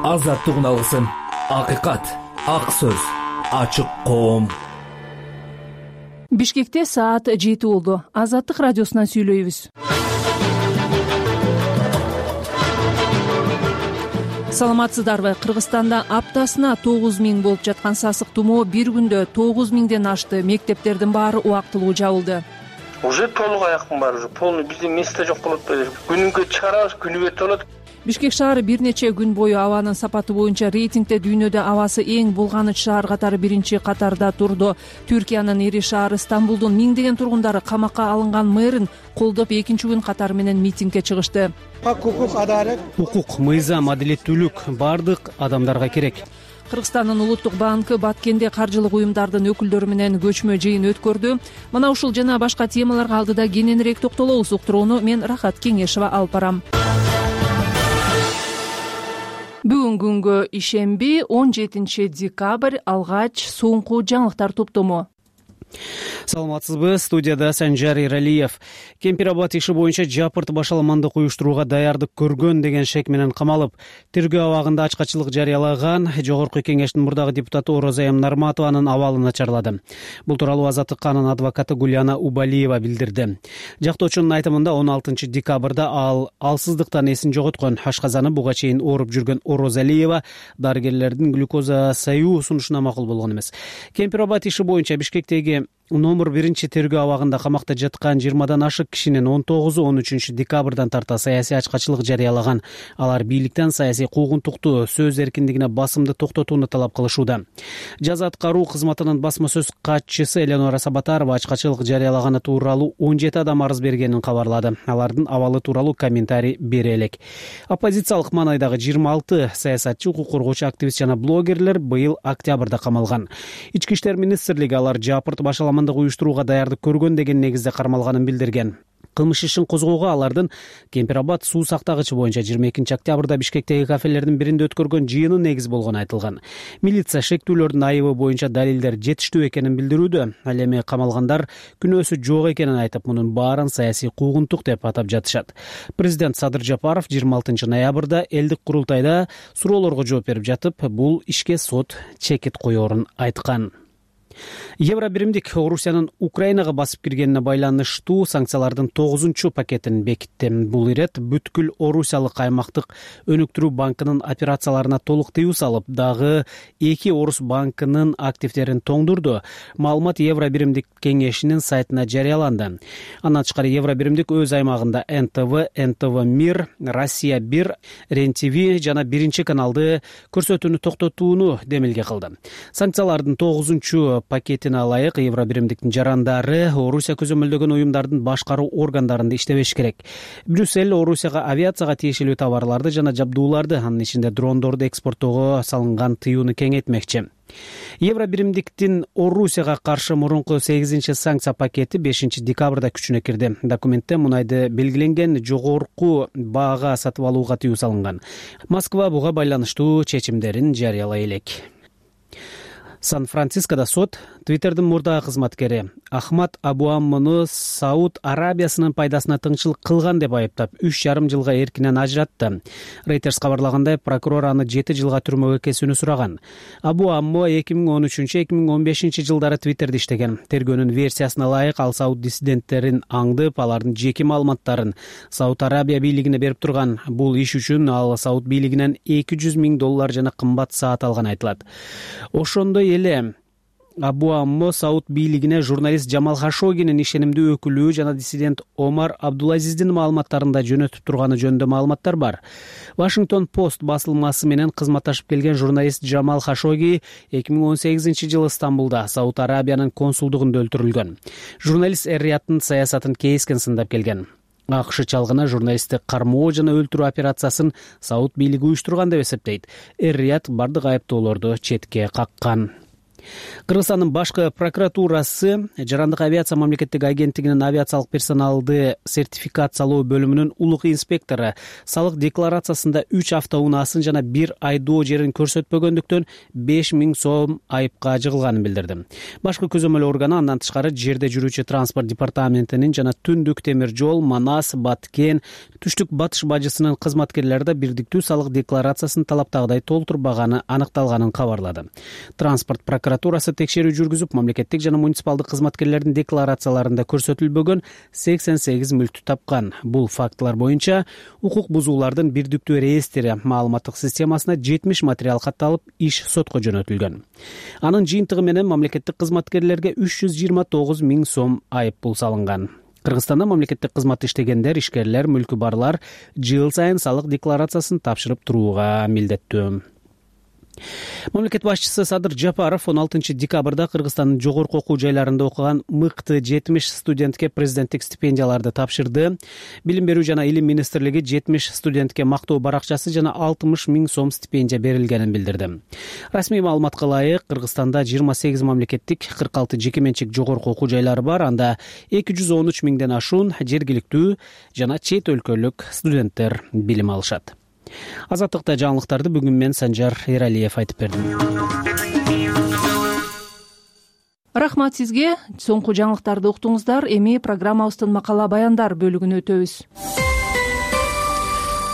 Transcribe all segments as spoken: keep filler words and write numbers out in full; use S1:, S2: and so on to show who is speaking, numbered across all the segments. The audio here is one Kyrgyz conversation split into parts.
S1: азаттыгын алгысың. Акыйкат, ак сөз, ачык коом.
S2: Бишкекте саат жети болду. Азаттык радиосунан сүйлөйбүз. Саламатсыздарбы? Кыргызстанда аптасына тогуз миң болуп жаткан сасык тумоо бир күндө тогуз миңден ашты. Мектептердин баары убактылуу жабылды.
S3: Уже толук аяктын баары уже полный биздин месте жок болот беле. Күнүгө чыгарабыз, күнү өтө болот.
S2: Бишкек шаары бир нече күн бою абанын сапаты боюнча рейтингде дүйнөдө абасы эң булганыч шаар катары биринчи катарда турду. Түркиянын ири шаары Стамбулдун миңдеген тургундары камакка алынган мэрин колдоп экинчи күн катары менен митингге чыгышты.
S4: Укук, адалет,
S5: укук, мыйзам, адилеттүүлүк бардык адамдарга керек.
S2: Кыргызстандын улуттук банкы Баткенде каржылык уюмдардын өкүлдөрү менен көчмө жыйын өткөрдү. Мына ушул жана башка темаларга алдыда кененирээк токтолобуз. Уктурууну мен Рахат Кеңешова алып барам. Бүгүн күнгө ишемби он жетинчи декабрь алгач соңку жаңылыктар топтому.
S5: Саламатсызбы, студияда Санжар Иралиев. Кемпир-Абад иши боюнча жапырт башаламандык уюштурууга даярдык көргөн деген шек менен камалып, тергөө абагында ачкачылык жарыялаган Жогорку Кеңештин мурдагы депутаты Орозайым Нарматованын абалы начарлады. Бул тууралуу Азаттыкканын адвокаты Гуляна Убалиева билдирди. Жактоочунун айтымында он алтынчы декабрда ал алсыздыктан эсин жоготкон. Ашказаны буга чейин ооруп жүргөн Орозалиева дарыгерлердин глюкоза саюу сунушуна макул болгон эмес. Кемпир-Абад иши боюнча Бишкектеги номер биринчи тергөө абагында камакта жаткан жыйырмадан ашык кишинин он тогузу он үчүнчү декабрдан тарта саясий ачкачылык жарыялаган. Алар бийликтен саясий куугунтукту, сөз эркиндигине басымды токтотууну талап кылышууда. Жаза аткаруу кызматынын басма сөз катчысы Эленора Сабатарова ачкачылык жарыялаганы тууралуу он жети адам арыз бергенин кабарлады. Алардын абалы тууралуу комментарий бере элек. Оппозициялык маанайдагы жыйырма алты саясатчы, укук коргоочу, активист жана блогерлер быйыл октябрда камалган. Ички иштер министрлиги алар жапырт башаламандык уюштурууга даярдык көргөн деген негизде кармалганын билдирген. Кылмыш ишин козгоого алардын Кемпир-Абад суу сактагычы боюнча жыйырма экинчи октябрда Бишкектеги кафелердин биринде өткөргөн жыйыны негиз болгону айтылган. Милиция шектүүлөрдүн айыбы боюнча далилдер жетиштүү экенин билдирүүдө. Ал эми камалгандар күнөөсү жок экенин айтып, мунун баарын саясий куугунтук деп атап жатышат. Президент Садыр Жапаров жыйырма алтынчы ноябрда элдик курултайда суроолорго жооп берип жатып, бул ишке сот чекит коерун айткан. Евро биримдик Орусиянын Украинага басып киргенине байланыштуу санкциялардын тогузунчу пакетин бекитти. Бул ирет бүткүл Орусиялык аймактык өнүктүрүү банкынын операцияларына толук тыюу салып, дагы эки Орус банкынын активдерин тоңдурду. Маалымат Евро биримдик кеңешинин сайтына жарыяланды. Андан тышкары Евро биримдик өз аймагында эн тэ вэ, эн тэ вэ Мир, Россия бир, Рен ти ви жана биринчи каналды көрсөтүүнү токтотууну демилге кылды. Санкциялардын тогузунчу пакетине ылайык Евро биримдиктин жарандары Орусия көзөмөлдөгөн уюмдардын башкаруу органдарында иштебеш керек. Брюссель Орусияга авиацияга тиешелүү товарларды жана жабдууларды, анын ичинде дрондорду экспорттоого салынган тыюуну кеңейтмекчи. Евро биримдиктин Орусияга каршы мурунку сегизинчи санкция пакети бешинчи декабрда күчүнө кирди. Документте мунайды белгиленген жогорку баага сатып алууга тыюу салынган. Москва буга байланыштуу чечимдерин жарыялай элек. Сан-Францискода сот Твиттердин мурдагы кызматкери Ахмад Абуаммыны Сауд Арабиясынын пайдасына тыңчылык кылган деп айыптап, үч жарым жылга эркинен ажыратты. Reuters кабарлагандай, прокурор аны жети жылга түрмөгө кесүүнү сураган. Абуаммы эки миң он үчүнчү эки миң он бешинчи жылдары Твиттерде иштеген. Тергөөнүн версиясына ылайык, ал Сауд диссиденттерин аңдып, алардын жеке маалыматтарын Сауд Арабия бийлигине берип турган. Бул иш үчүн ал Сауд бийлигинен эки жүз миң доллар жана кымбат саат алган айтылат. Ошондой эле Абуаммы Сауд бийлигине журналист Жамал Хашогинин ишенимдүү өкүлү жана диссидент Омар Абдулазиздин маалыматтарында жөнөтүп турганы жөнүндө маалыматтар бар. Вашингтон Пост басылмасы менен кызматташып келген журналист Жамал Хашоги эки миң он сегизинчи жылы Стамбулда Сауд Арабиянын консулдугунда өлтүрүлгөн. Журналист эр-Рияттын саясатын кейискен сындап келген. АКШ чалгына журналистти кармоо жана өлтүрүү операциясын Сауд бийлиги уюштурган деп эсептейт. эр-Рият бардык айыптоолорду четке каккан. Кыргызстандын башкы прокуратурасы жарандык авиация мамлекеттик агенттигинин авиациялык персоналды сертификациялоо бөлүмүнүн улук инспектору салык декларациясында үч автоунаасын жана бир айдоо жерин көрсөтпөгөндүктөн беш миң сом айыпка жыгылганын билдирди. Башкы көзөмөл органы андан тышкары жерде жүрүүчү транспорт департаментинин жана Түндүк темир жол, Манас, Баткен, Түштүк батыш бажысынын кызматкерлери да бирдиктүү салык декларациясын талаптагыдай толтурбаганы аныкталганын кабарлады. Транспорт прокуратурасы текшерүү жүргүзүп, мамлекеттик жана муниципалдык кызматкерлердин декларацияларында көрсөтүлбөгөн сексен сегиз мүлктү тапкан. Бул фактылар боюнча укук бузуулардын бирдиктүү реестри маалыматтык системасына жетимиш материал катталып, иш сотко жөнөтүлгөн. Анын жыйынтыгы менен мамлекеттик кызматкерлерге үч жүз жыйырма тогуз миң сом айып пул салынган. Кыргызстанда мамлекеттик кызматта иштегендер, ишкерлер, мүлкү барлар жыл сайын салык декларациясын тапшырып турууга милдеттүү. Мамлекет башчысы Садыр Жапаров он алтынчы декабрда Кыргызстандын жогорку окуу жайларында окуган мыкты жетимиш студентке президенттик стипендияларды тапшырды. Билим берүү жана илим министрлиги жетимиш студентке мактоо баракчасы жана алтымыш миң сом стипендия берилгенин билдирди. Расмий маалыматка ылайык, Кыргызстанда жыйырма сегиз мамлекеттик, кырк алты жеке менчик жогорку окуу жайлары бар. Анда эки жүз он үч миңден ашуун жергиликтүү жана чет өлкөлүк студенттер билим алышат. Азаттыкта жаңылыктарды бүгүн мен Санжар Эралиев айтып бердим.
S2: Рахмат сизге. Соңку жаңылыктарды уктуңуздар. Эми программабыздын макала баяндар бөлүгүнө өтөбүз.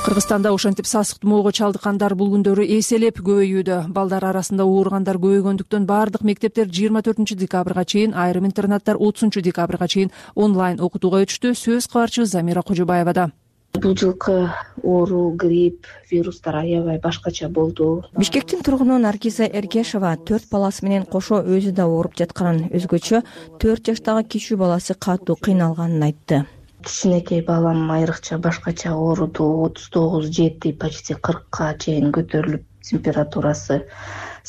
S2: Кыргызстанда ошентип сасык тумоого чалдыккандар бул күндөрү эселеп көбөйүүдө. Балдар арасында ооругандар көбөйгөндүктөн баардык мектептер жыйырма төртүнчү декабрга чейин, айрым интернаттар отузунчу декабрга чейин онлайн окутууга өтүштү. Сөз кабарчыбыз Замира Кожобаевада.
S4: Бул жылкы оору, грипп, вирустар аябай башкача болду.
S6: Бишкектин тургуну Наргиза Эргешова төрт баласы менен кошо өзү да ооруп жатканын, өзгөчө төрт жаштагы кичүү баласы катуу кыйналганын айтты.
S4: Кичинекей балам айрыкча башкача ооруду, отуз тогуз жети, почти кыркка чейин көтөрүлүп температурасы.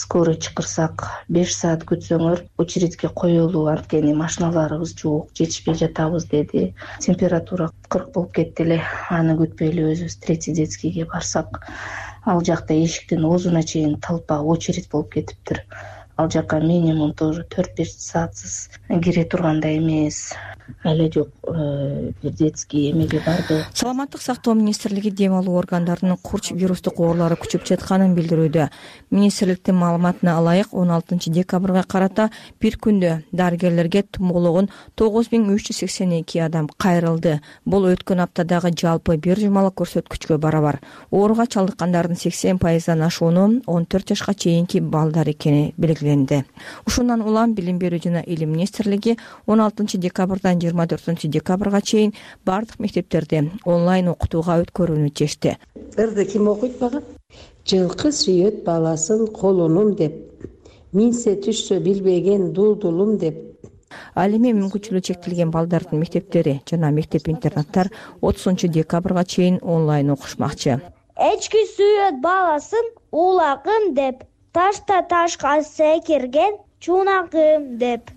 S4: Скорый чакырсак беш саат күтсөңөр очередьке коелуу, анткени машиналарыбыз жок, жетишпей жатабыз деди. Температура кырк болуп кетти эле. Аны күтпөй эле өзүбүз третий детскийге барсак, ал жакта эшиктин оозуна чейин толпа, очередь болуп кетиптир. Ал жака минимум тоже төрт беш саатсыз кире тургандай эмес. Эле жок, бир детский эмеге барды.
S6: Саламаттык сактоо министрлиги дем алуу органдарынын курч вирустук оорулары күчөп жатканын билдирүүдө. Министрликтин маалыматына ылайык, он алтынчы декабрга карата бир күндө дарыгерлерге тумоологон тогуз миң үч жүз сексен эки адам кайрылды. Бул өткөн аптадагы жалпы бир жумалык көрсөткүчкө барабар. Ооруга чалдыккандардын сексен пайыздан ашууну он төрт жашка чейинки балдар экени белгиленди. Ушундан улам Билим берүү жана илим министрлиги он алтынчы декабрдан жыйырма төртүнчү декабрга чейин бардык мектептерде онлайн окутууга өткөрүүнү чечти.
S7: Ырды ким окуйт бага? Жылкы сүйөт баласын колунум деп, минсе түшсө билбеген дулдулум деп.
S6: Ал эми мүмкүнчүлүгү чектелген балдардын мектептери жана мектеп-интернаттар отузунчу декабрга чейин онлайн окушмакчы.
S8: Эчки сүйөт баласын улагым деп, ташта ташка секирген чунагым деп.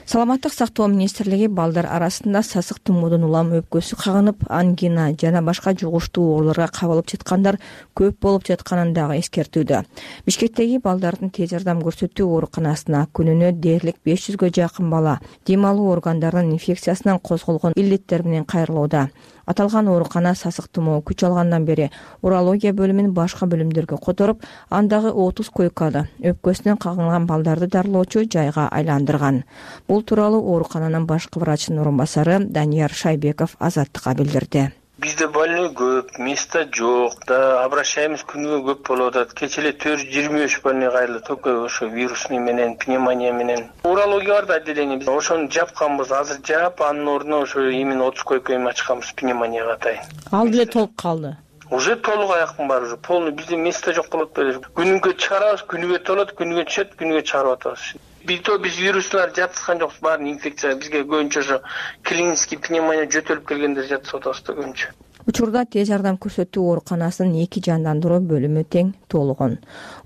S6: Саламаттык сактоо министрлиги балдар арасында сасык тумоодон улам өпкөсү кагынып, ангина жана башка жугуштуу ооруларга кабылып жаткандар көп болуп жатканын дагы эскертүүдө. Бишкектеги балдардын тез жардам көрсөтүү ооруканасына күнүнө дээрлик беш жүзгө жакын бала дем алуу органдарынын инфекциясынан козголгон илдеттер менен кайрылууда. Аталган оорукана сасык тумоо күч алгандан бери урология бөлүмүн башка бөлүмдөргө которуп, андагы отуз койкада өпкөсүнөн кагылган балдарды дарылоочу жайга айландырган. Бул тууралуу оорукананын башкы врачынын орун басары Данияр Шайбеков Азаттыкка билдирди.
S3: Бизде больной көп, место жок да, обращаемыз күнүгө көп болуп атат. Кечеле төрт жүз жыйырма үч больной кайрылды, только ошо вирусный менен, пневмония менен. Урология бар да отделение, биз ошону жапканбыз, азыр жаап, анын ордуна ошо именно отуз койка эми ачканбыз пневмонияга атайын.
S6: Ал деле толуп калды.
S3: Уже толук аяктын баары уже полный, бизде место жок болот беле. Күнүгө чыгарабыз, күнүгө толот, күнүгө түшөт, күнүгө чыгарып атабыз. Бито биз вирустар жаткан жокпуз, баарын инфекция бизге көбүнчө ошо клинический пневмония жөтөлүп келгендер жатып атабыз да көбүнчө.
S6: Учурда тез жардам көрсөтүү ооруканасынын эки жандандыруу бөлүмү тең толгон.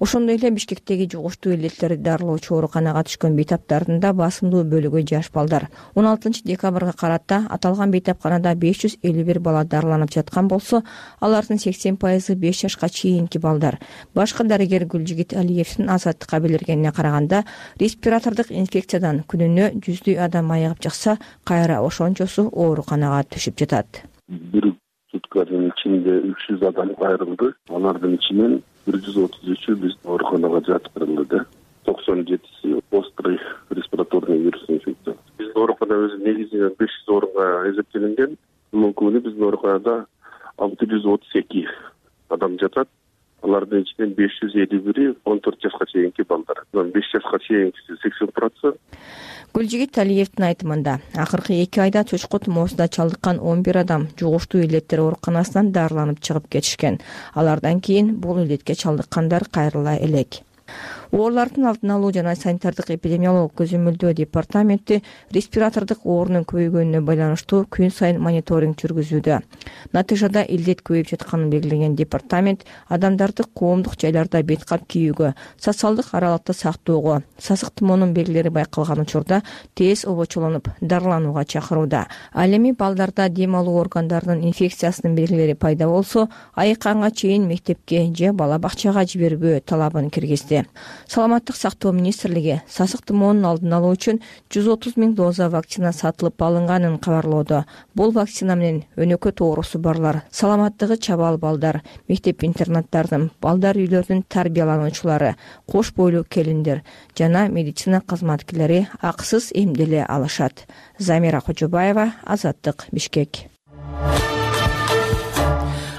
S6: Ошондой эле Бишкектеги жугуштуу илеттерди дарылоочу ооруканага түшкөн бейтаптардын да басымдуу бөлүгү жаш балдар. он алтынчы декабрга карата аталган бейтапканада беш жүз элүү бир бала дарыланып жаткан болсо, алардын сексен пайызы беш жашка чейинки балдар. Башкы дарыгер Гүлжигит Алиевдин Азаттыкка билдиргенине караганда, респиратордук инфекциядан күнүнө жүздөй адам айыгып чыкса, кайра ошончосу ооруканага түшүп жатат.
S9: Бир сутканын ичинде үч жүз адам айрылды. Алардын ичинен бир жүз отуз үчү биздин ооруканага жаткырылды. токсон жетиси острый респираторный вирус инфекция. Биздин оорукана өзү негизинен беш жүз орунга эсептелинген. Бүгүнкү күнү биздин ооруканада алты жүз отуз эки адам жатат. Алардын ичинен беш жүз элүү бири он төрт жашка чейинки балдар. беш жашка чейинкиси сексен процент.
S6: Гүлжигит Алиевдин айтымында, акыркы эки айда чочко тумоосуна чалдыккан он бир адам жугуштуу илеттер ооруканасынан дарыланып чыгып кетишкен. Алардан кийин бул илетке чалдыккандар кайрыла элек. Оорулардын алдын алуу жана санитардык эпидемиологиялык көзөмөлдөө департаменти респиратордук оорунун көбөйгөнүнө байланыштуу күн сайын мониторинг жүргүзүүдө. Натыйжада илдет көбөйүп жатканын белгилеген департамент адамдарды коомдук жайларда бет кап кийүүгө, социалдык аралыкты сактоого, сасык тумоонун белгилери байкалган учурда тез обочолонуп дарыланууга чакырууда. Ал эми балдарда дем алуу органдарынын инфекциясынын белгилери пайда болсо, айыкканга чейин мектепке же бала бакчага жибербөө талабын киргизди. Саламаттык сактоо министрлиги сасык тумоонун алдын алуу үчүн жүз отуз миң доза вакцина сатылып алынганын кабарлоодо. Бул вакцина менен өнөкөт оорусу барлар, саламаттыгы чабал балдар, мектеп-интернаттардын, балдар үйлөрүнүн тарбиялануучулары, кош бойлуу келиндер жана медицина кызматкерлери акысыз эмделе алышат. Замира Кожобаева, Азаттык, Бишкек.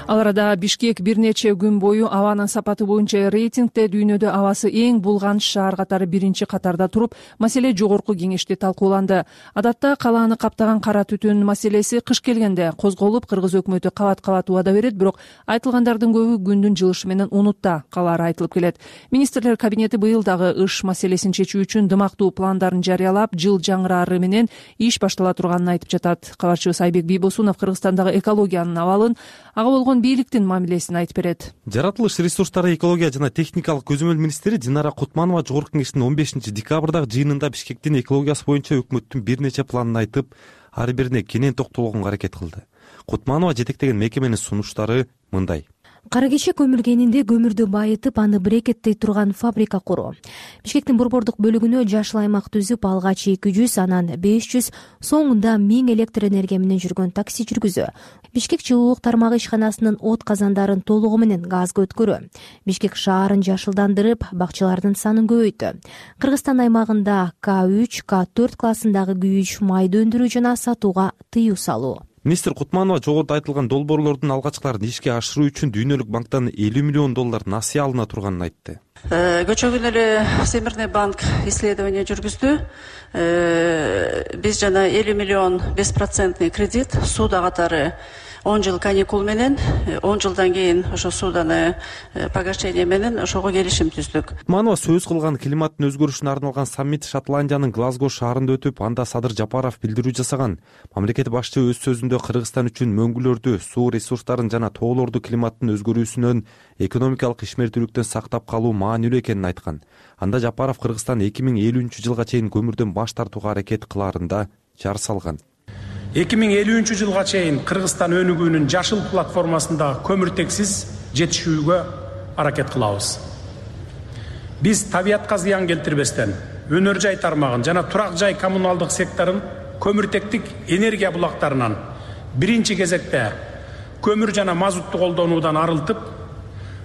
S2: Ал арада Бишкек бир нече күн бою абанын сапаты боюнча рейтингде дүйнөдө абасы эң булганыч шаар катары биринчи катарда туруп, маселе жогорку кеңеште талкууланды. Адатта калааны каптаган кара түтүн маселеси кыш келгенде козголуп, кыргыз өкмөтү кабат-кабат убада берет, бирок айтылгандардын көбү күндүн жылышы менен унутта калаары айтылып келет. Министрлер кабинети быйыл дагы ыш маселесин чечүү үчүн дымактуу пландарын жарыялап, жыл жаңырары менен иш баштала турганын айтып жатат. Кабарчыбыз Айбек Бийбосунов Кыргызстандагы экологиянын абалын, ага болгон бийликтин мамилесин айтып берет.
S10: Жаратылыш ресурстары, экология жана техникалык көзөмөл министри Динара Кутманова жогорку кеңештин он бешинчи декабрдагы жыйынында Бишкектин экологиясы боюнча өкмөттүн бир нече планын айтып, ар бирине кенен токтолгонго аракет кылды. Кутманова жетектеген мекеменин сунуштары мындай:
S11: Кара кечек көмүр кенинде көмүрдү байытып, аны брекеттей турган фабрика куруу. Бишкектин борбордук бөлүгүнө жашыл аймак түзүп, алгач эки жүз, анан беш жүз, соңунда миң электр энергия менен жүргөн такси жүргүзүү. Бишкек жылуулук тармагы ишканасынын от казандарын толугу менен газга өткөрүү. Бишкек шаарын жашылдандырып, бакчалардын санын көбөйттү. Кыргызстан аймагында К үч, К төрт классындагы күйүүч майды өндүрүү жана сатууга тыюу салуу.
S10: Министр Кутманова жогоруда айтылган долбоорлордун алгачкыларын ишке ашыруу үчүн Дүйнөлүк банктан элүү миллион доллар насыя алына турганын айтты.
S12: Көчөгөн эле Всемирный банк исследование жүргүздү. Биз жана элүү миллион беш процентный кредит сууда катары он жыл каникул менен, он жылдан кийин ошо суданы погашение менен ошого келишим түздүк.
S10: Кутманова сөз кылган климаттын өзгөрүшүнө арналган саммит Шотландиянын Глазго шаарында өтүп, анда Садыр Жапаров билдирүү жасаган. Мамлекет башчы өз сөзүндө Кыргызстан үчүн мөңгүлөрдү, суу ресурстарын жана тоолорду климаттын өзгөрүүсүнөн, экономикалык ишмердүүлүктөн сактап калуу маанилүү экенин айткан. Анда Жапаров Кыргызстан эки миң элүүнчү жылга чейин көмүрдөн баш тартууга аракет кылаарында жар салган.
S13: эки миң элүүнчү жылга чейин Кыргызстан өнүгүүнүн жашыл платформасында көмүртексиз жетишүүгө аракет кылабыз. Биз табиятка зыян келтирбестен өнөр жай тармагын жана турак жай коммуналдык секторун көмүртектик энергия булактарынан биринчи кезекте көмүр жана мазутту колдонуудан арылтып,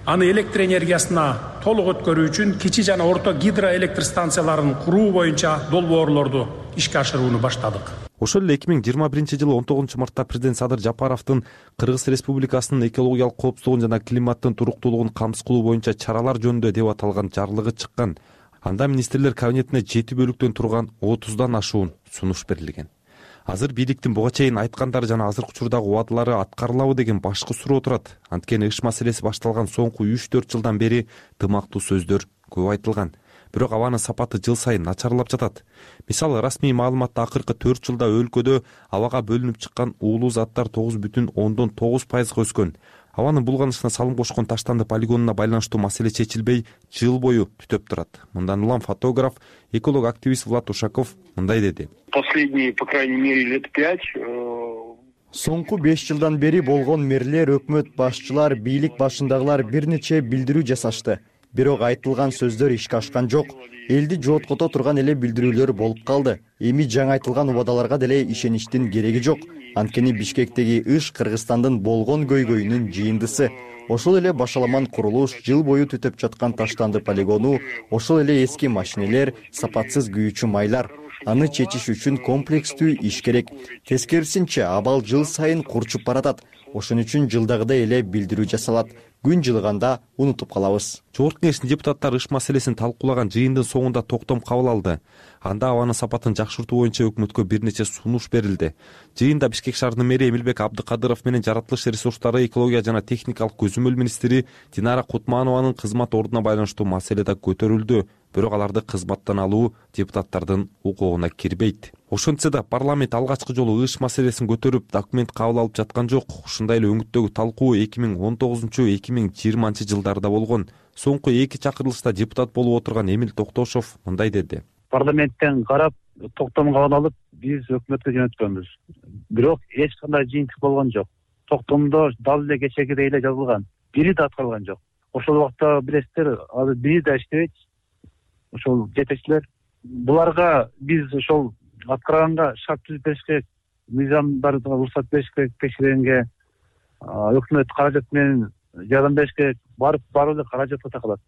S13: аны электр энергиясына толук өткөрүү үчүн кичи жана орто гидроэлектр станцияларын куруу боюнча долбоорлорду ишке ашырууну баштадык.
S10: Ошол эле эки миң жыйырма биринчи жылы он тогузунчу мартта президент Садыр Жапаровдун Кыргыз Республикасынын экологиялык коопсуздугун жана климаттын туруктуулугун камсыз кылуу боюнча чаралар жөнүндө деп аталган жарлыгы чыккан. Анда министрлер кабинетине жети бөлүктөн турган отуздан ашуун сунуш берилген. Азыр бийликтин буга чейин айткандары жана азыркы учурдагы убадалары аткарылабы деген башкы суроо турат. Анткени ыш маселеси башталган соңку үч төрт жылдан бери дымактуу сөздөр көп айтылган. бирок абанын сапаты жыл сайын начарлап жатат. Мисалы, расмий маалыматта акыркы төрт жылда өлкөдө абага бөлүнүп чыккан уулуу заттар тогуз бүтүн ондон тогуз пайызга өскөн. Абанын булганышына салым кошкон Таштанды полигонуна байланыштуу маселе чечилбей, жыл бою түтөп турат. Мындан улам фотограф, эколог активист Влад Ушаков мындай деди.
S14: Последние, по крайней мере, лет пять
S15: соңку беш жылдан бери болгон мэрлер, өкмөт башчылар, бийлик башындагылар бир нече билдирүү жасашты. Бирок айтылган сөздөр ишке ашкан жок. Элди жооткото турган эле билдирүүлөр болуп калды. Эми жаңы айтылган убадаларга деле ишеништин кереги жок. Анткени Бишкектеги иш Кыргызстандын болгон көйгөйүнүн жыйындысы. Ошол эле башаламан курулуш, жыл бою түтөп жаткан Таштанды полигону, ошол эле эски машинелер, сапатсыз күйүүчү майлар. Аны чечиш үчүн комплекстүү иш керек. Тескерисинче, абал жыл сайын курчуп баратат. Ошон үчүн жылдагыдай эле билдирүү жасалат. Күн жылыганда унутуп калабыз.
S10: Жогорку кеңештин депутаттары иш маселесин талкуулаган жыйындын соңунда токтом кабыл алды. Анда абанын сапатын жакшыртуу боюнча өкмөткө бир нече сунуш берилди. Жыйында Бишкек шаарынын мэри Эмилбек Абдыкадыров менен жаратылыш ресурстары, экология жана техникалык көзөмөл министри Динара Кутманованын кызмат ордуна байланыштуу маселе да көтөрүлдү. Бирок аларды кызматтан алуу депутаттардын укугуна кирбейт. Ошентсе да парламент алгачкы жолу иш маселесин көтөрүп, документ кабыл алып жаткан жок. Ушундай эле өңүттөгү талкуу эки миң он тогузунчу — эки миң жыйырманчы жылдарда болгон. Соңку эки чакырылышта депутат болуп отурган Эмил Токтошов мындай деди.
S16: Парламенттен карап, токтом кабыл алып, биз өкмөткө жөнөткөнбүз. Бирок эч кандай жыйынтык болгон жок. Токтомдо дал эле кечегидей эле жазылган. Бири да аткарылган жок. Ошол убакта билесиздер, азыр бири да иштебейт. Ошол жетекчилер, буларга биз ошол аткарганга шарт түзүп бериш керек, мыйзамдарга уруксат бериш керек, текшергенге өкмөт каражат менен жардам бериш керек. Барып барып эле каражатка такалат.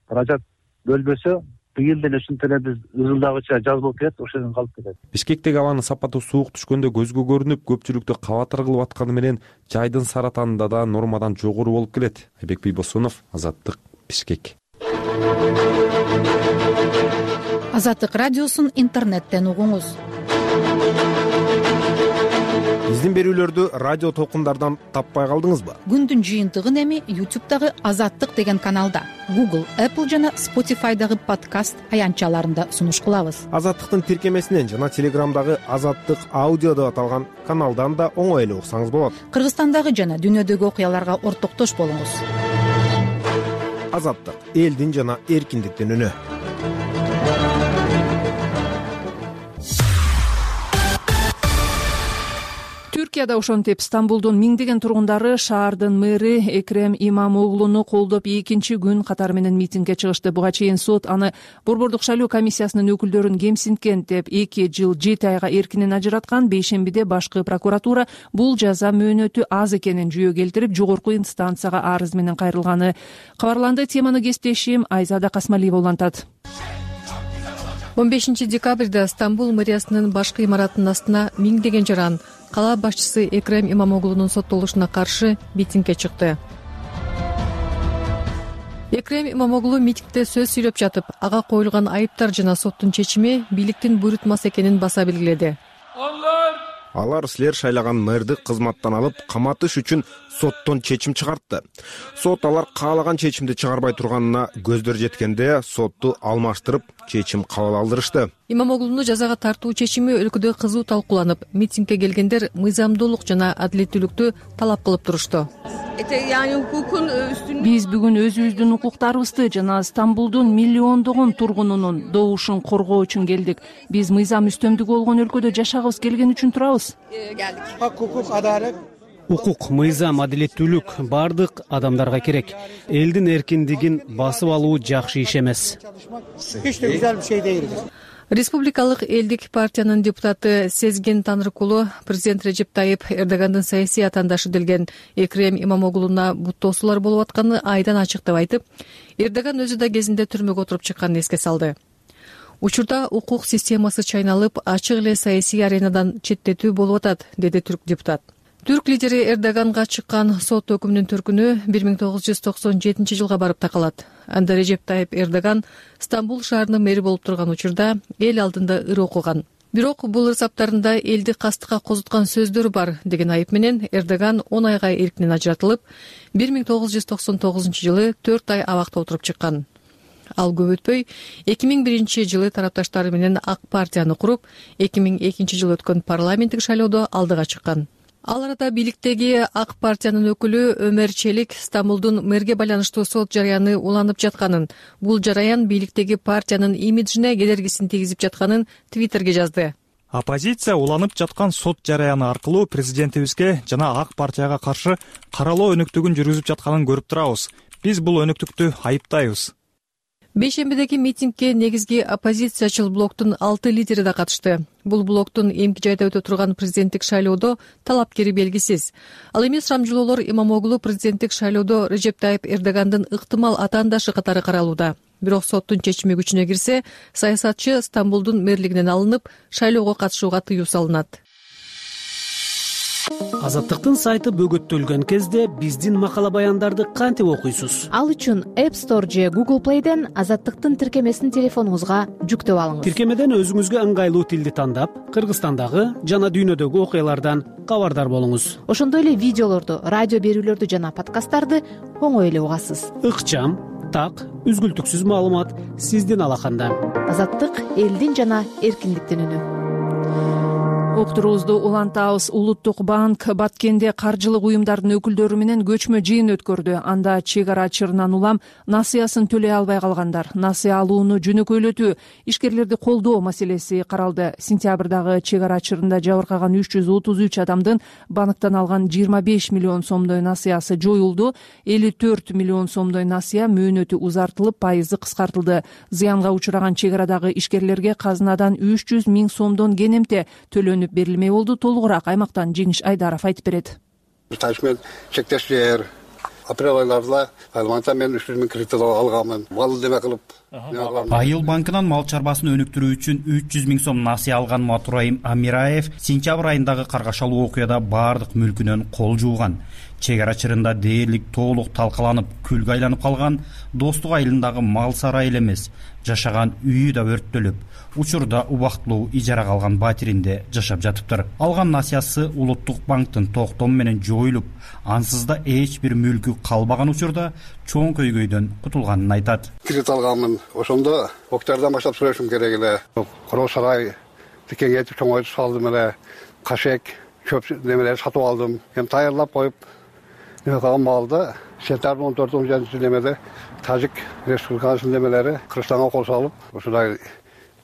S16: Каражат бөлбөсө, быйыл деле ушинтип эле биз ызылдагыча жаз болуп кетет, ошондон калып кетет.
S10: Бишкектеги абанын сапаты суук түшкөндө көзгө көрүнүп, көпчүлүктү кабатыр кылып атканы менен жайдын саратанында да нормадан жогору болуп келет. Айбек Бийбосунов, Азаттык, Бишкек.
S17: Азаттык радиосун интернеттен угуңуз.
S18: Биздин берүүлөрдү радио толкундардан таппай калдыңызбы?
S17: Күндүн жыйынтыгын эми ютубтагы Азаттык деген каналда, Google, Apple жана Spotify'дагы подкаст аянтчаларында сунуш кылабыз.
S18: Азаттыктын тиркемесинен жана Телеграмдагы Азаттык аудио деп аталган каналдан да оңой эле уксаңыз болот.
S17: Кыргызстандагы жана дүйнөдөгү окуяларга ортоктош болуңуз.
S18: Азаттык — элдин жана эркиндиктин үнү.
S2: Түркияда ошентип Стамбулдун миңдеген тургундары шаардын мэри Экрем Имамоглуну колдоп экинчи күн катары менен митингге чыгышты. Буга чейин сот аны Борбордук шайлоо комиссиясынын өкүлдөрүн кемсинткен деп эки жыл жети айга эркинен ажыраткан. Бейшембиде башкы прокуратура бул жаза мөөнөтү аз экенин жүйө келтирип, жогорку инстанцияга арыз менен кайрылганы кабарланды. Теманы кесиптешим Айзада Касмалиева улантат.
S19: он бешинчи декабрда Стамбул мэриясынын башкы имаратынын астына миңдеген жаран кала башчысы Экрем Имамоглунун соттолушуна каршы митингге чыкты. Экрем Имамоглу митингде сөз сүйлөп жатып, ага коюлган айыптар жана соттун чечими бийликтин буйрутмасы экенин баса белгиледи.
S18: Алар силер шайлаган мэрди кызматтан алып, каматыш үчүн соттон чечим чыгартты. Сот алар каалаган чечимди чыгарбай турганына көздөр жеткенде сотту алмаштырып, чечим кабыл алдырышты.
S19: Имамоглуну жазага тартуу чечими өлкөдө кызуу талкууланып, митингге келгендер мыйзамдуулук жана адилеттүүлүктү талап кылып турушту.
S2: Биз бүгүн өзүбүздүн укуктарыбызды жана Стамбулдун миллиондогон тургунунун добушун коргоо үчүн келдик. Биз мыйзам үстөмдүгү болгон өлкөдө жашагыбыз келген үчүн турабыз.
S5: Укук, мыйзам, адилеттүүлүк бардык адамдарга керек. Элдин эркиндигин басып алуу жакшы иш эмес.
S19: Республикалык элдик партиянын депутаты Сезген Танрыкулу президент Режеп Тайып Эрдогандын саясий атаандашы делген Экрем Имамоглуна буттоосулар болуп атканы айдан ачык деп айтып, Эрдоган өзү да кезинде түрмөгө отуруп чыкканын эске салды. Учурда укук системасы чайналып, ачык эле саясий аренадан четтетүү болуп атат, деди түрк депутат. Түрк лидери Эрдоганга чыккан сот өкүмүнүн түркүнү бир миң тогуз жүз токсон жетинчи жылга барып такалат. Анда Режеп Тайып Эрдоган Стамбул шаарынын мэри болуп турган учурда эл алдында ыр окуган. Бирок бул ырсаптарында элди кастыкка козуткан сөздөр бар деген айып менен Эрдоган он айга эркинен ажыратылып, бир миң тогуз жүз токсон тогузунчу жылы төрт ай абакта отуруп чыккан. ал көп өтпөй эки миң биринчи жылы тарапташтары менен ак партияны куруп, эки миң экинчи жылы өткөн парламенттик шайлоодо алдыга чыккан. Ал арада бийликтеги ак партиянын өкүлү Өмер Челик Стамбулдун мэрге байланыштуу сот жараяны уланып жатканын, бул жараян бийликтеги партиянын имиджине кедергисин тийгизип жатканын Твиттерге жазды.
S20: Оппозиция уланып жаткан сот жараяны аркылуу президентибизге жана ак партияга каршы каралоо өнөктүгүн жүргүзүп жатканын көрүп турабыз. Биз бул өнөктүктү айыптайбыз.
S19: Бейшембидеги митингге негизги оппозициячыл блоктун алты лидери да катышты. Бул блоктун эмки жайда өтө турган президенттик шайлоодо талапкери белгисиз. Ал эми Шрамжилоолор Имамоглу президенттик шайлоодо Режеп Тайып Эрдогандын ыктымал атаандашы катары каралууда. Бирок соттун чечими күчүнө кирсе, саясатчы Стамбулдун мэрлигинен алынып, шайлоого катышууга тыюу салынат.
S5: Азаттыктын сайты бөгөттөлгөн кезде биздин макала баяндарды кантип окуйсуз?
S11: Ал үчүн App Store же Google Play'ден Азаттыктын тиркемесин телефонуңузга жүктөп алыңыз.
S5: Тиркемеден өзүңүзгө ыңгайлуу тилди тандап, Кыргызстандагы жана дүйнөдөгү окуялардан кабардар болуңуз.
S11: Ошондой эле видеолорду, радио берүүлөрдү жана подкасттарды оңой эле угасыз.
S5: Ыкчам, так, үзгүлтүксүз маалымат сиздин алаканда.
S11: Азаттык элдин жана эркиндиктин үнү.
S2: Уктуруубузду улантабыз. Улуттук банк Баткенде каржылык уюмдардын өкүлдөрү менен көчмө жыйын өткөрдү. Анда чек ара чырынан улам насыясын төлөй албай калгандар, насыя алууну жөнөкөйлөтүү, ишкерлерди колдоо маселеси каралды. Сентябрдагы чек ара чырында жабыркаган үч жүз отуз үч адамдын банктан алган жыйырма беш миллион сомдой насыясы жоюлду. элүү төрт миллион сомдой насыя мөөнөтү узартылып, пайызы кыскартылды. Зыянга учураган чек арадагы ишкерлерге казынадан үч жүз миң сомдон кенемте төлөнүп берилмей болду. Толугураак аймактан Жеңиш Айдаров айтып берет.
S21: Ташмен чектештер апрель айларында айланта мен үч жүз миң кредит алганмын. Мал деме кылып.
S22: Айыл банкынан мал чарбасын өнүктүрүү үчүн үч жүз миң сом насыя алган Матураим Амираев сентябрь айындагы каргашалуу окуяда баардык мүлкүнөн кол жууган. Чек ара чырында дээрлик толук талкаланып, күлгө айланып калган. Достук айылындагы мал сарайы эле эмес, жашаган үйү да өрттөлүп, учурда убактылуу ижарага алган батиринде жашап жатыптыр. Алган насыясы Улуттук банктын токтому менен жоюлуп, ансыз да эч бир мүлкү калбаган учурда чоң көйгөйдөн кутулганын айтат.
S21: Кредит алганмын. Ошондо октябрдан баштап сүрөшүм керек эле. Короо сарай кеңейтип чоңойтуп салдым эле. Кашек, чөп немелер сатып алдым. Эми даярдап коюп неме калган малды сентябрь он төрт он жетинчи немеде Тажик Республикасынын немелери Кыргызстанга кол салып, ушундай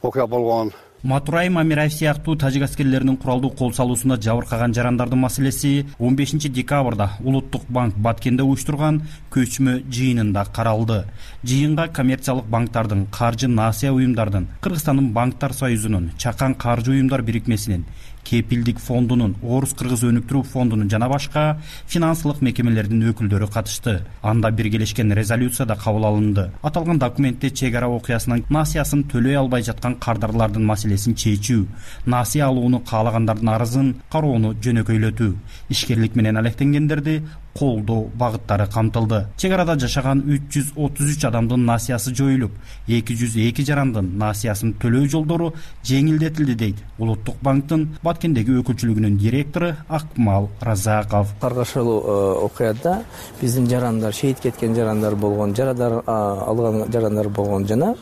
S21: окуя болгон.
S22: Матураим Амираев сыяктуу тажик аскерлеринин куралдуу кол салуусунда жабыркаган жарандардын маселеси он бешинчи декабрда Улуттук банк Баткенде уюштурган көчмө жыйынында каралды. Жыйынга коммерциялык банктардын, каржы насыя уюмдардын, Кыргызстандын банктар союзунун, Чакан каржы уюмдар бирикмесинин, Кепилдик фондунун, Орус-Кыргыз өнүктүрүү фондунун жана башка финансылык мекемелердин өкүлдөрү катышты. Анда биргелешкен резолюция да кабыл алынды. Аталган документте чек ара окуясынын насыясын төлөй албай жаткан кардарлардын маселесин чечүү, насыя алууну каалагандардын арызын кароону жөнөкөйлөтүү, ишкерлик менен алектенгендерди колдоо багыттары камтылды. Чек арада жашаган үч жүз отуз үч адамдын насыясы жоюлуп, эки жүз эки жарандын насыясын төлөө жолдору жеңилдетилди дейт Улуттук банктын Баткендеги өкүлчүлүгүнүн директору Акмал Разаков.
S23: Каргашалуу окуяда биздин жарандар, шейит кеткен жарандар болгон, жарадар алган жарандар болгон жана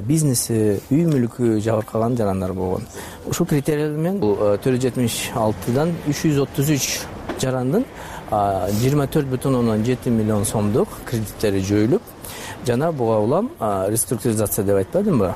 S23: бизнеси, үй мүлкү жабыркаган жарандар болгон. Ушул критерийлер менен төрт жүз жетимиш алтыдан үч жүз отуз үч жарандын жыйырма төрт бүтүн ондон жети миллион сомдук кредиттери жоюлуп, жана буга улам реструктуризация деп айтпадымбы?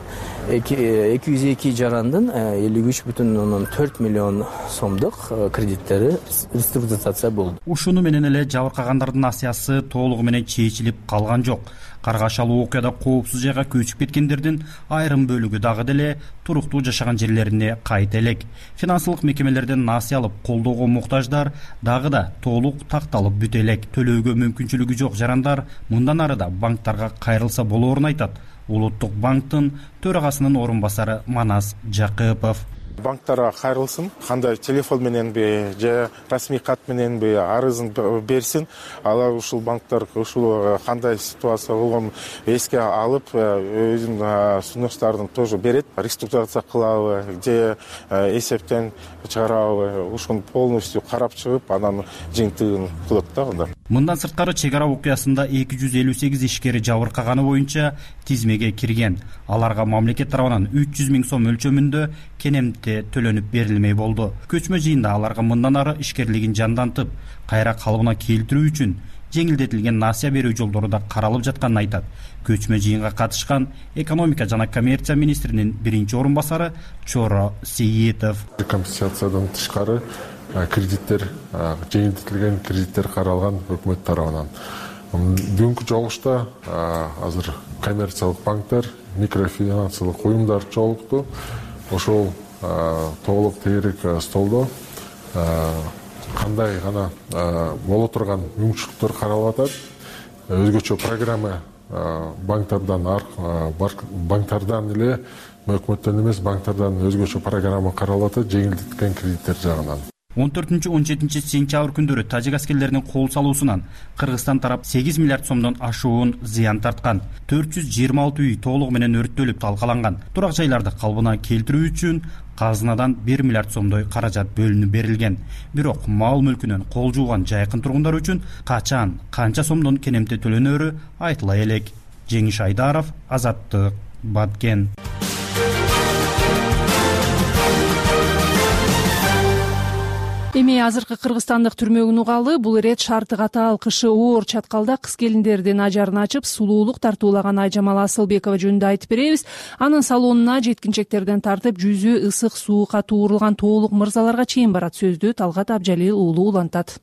S23: эки жүз эки жарандын элүү үч бүтүн ондон төрт миллион сомдук кредиттери реструктуризация болду.
S22: Ушуну менен эле жабыркагандардын насыясы толугу менен чечилип калган жок. Каргашалуу окуяда коопсуз жайга көчүп кеткендердин айрым бөлүгү дагы деле туруктуу жашаган жерлерине кайта элек. Финансылык мекемелерден насыя алып колдоого муктаждар дагы да толук такталып бүтө элек. Төлөөгө мүмкүнчүлүгү жок жарандар мындан ары да банктарга кайрылса болоорун айтат Улуттук банктын төрагасынын орун басары Манас Жакыпов.
S1: банктарга кайрылсын, кандай телефон мененби же расмий кат мененби арызын берсин. Алар ушул банктар ушул кандай ситуация болгонун эске алып, өзүнүн сунуштарын тоже берет. Реструктурация кылабы же эсептен чыгарабы, ушуну полностью карап чыгып, анан жыйынтыгын кылат да анда.
S22: Мындан сырткары чек ара окуясында эки жүз элүү сегиз ишкери жабыркаганы боюнча тизмеге кирген. Аларга мамлекет тарабынан үч жүз миң сом өлчөмүндө кенемте төлөнүп берилмей болду. Көчмө жыйында аларга мындан ары ишкерлигин жандантып, кайра калыбына келтирүү үчүн жеңилдетилген насыя берүү жолдору да каралып жатканын айтат. Көчмө жыйынга катышкан экономика жана коммерция министринин биринчи орун басары Чоро Сейитов.
S4: Компенсациядан тышкары кредиттер, жеңилдетилген кредиттер каралган өкмөт тарабынан. Бүгүнкү жолугушта азыр коммерциялык банктар, микрофинансылык уюмдар жолукту. Ошол толук тегерек столдо кандай гана боло турган мүмкүнчүлүктөр каралып атат. Өзгөчө программа банктардан банктардан эле, өкмөттөн эмес, банктардан өзгөчө программа каралып атат жеңилдетилген кредиттер жагынан.
S22: он төртүнчү он жетинчи сентябрь күндөрү тажик аскерлеринин кол салуусунан Кыргызстан тарап сегиз миллиард сомдон ашуун зыян тарткан. төрт жүз жыйырма алты үй толугу менен өрттөлүп талкаланган. Турак жайларды калыбына келтирүү үчүн казынадан бир миллиард сомдой каражат бөлүнүп берилген. Бирок мал мүлкүнөн кол жууган жайкын тургундар үчүн качан, канча сомдон кенемте төлөнөрү айтыла элек. Жеңиш Айдаров, Азаттык, Баткен.
S2: Эми азыркы кыргызстандык түрмөгүн угалы. Бул ирет шарты катаал, кышы оор чаткалда кыз келиндердин ажарын ачып, сулуулук тартуулаган Айжамал Асылбекова жөнүндө айтып беребиз. Анын салонуна жеткинчектерден тартып, жүзү ысык суукка туурулган тоолук мырзаларга чейин барат. Сөздү Талгат Абжалил уулу улантат.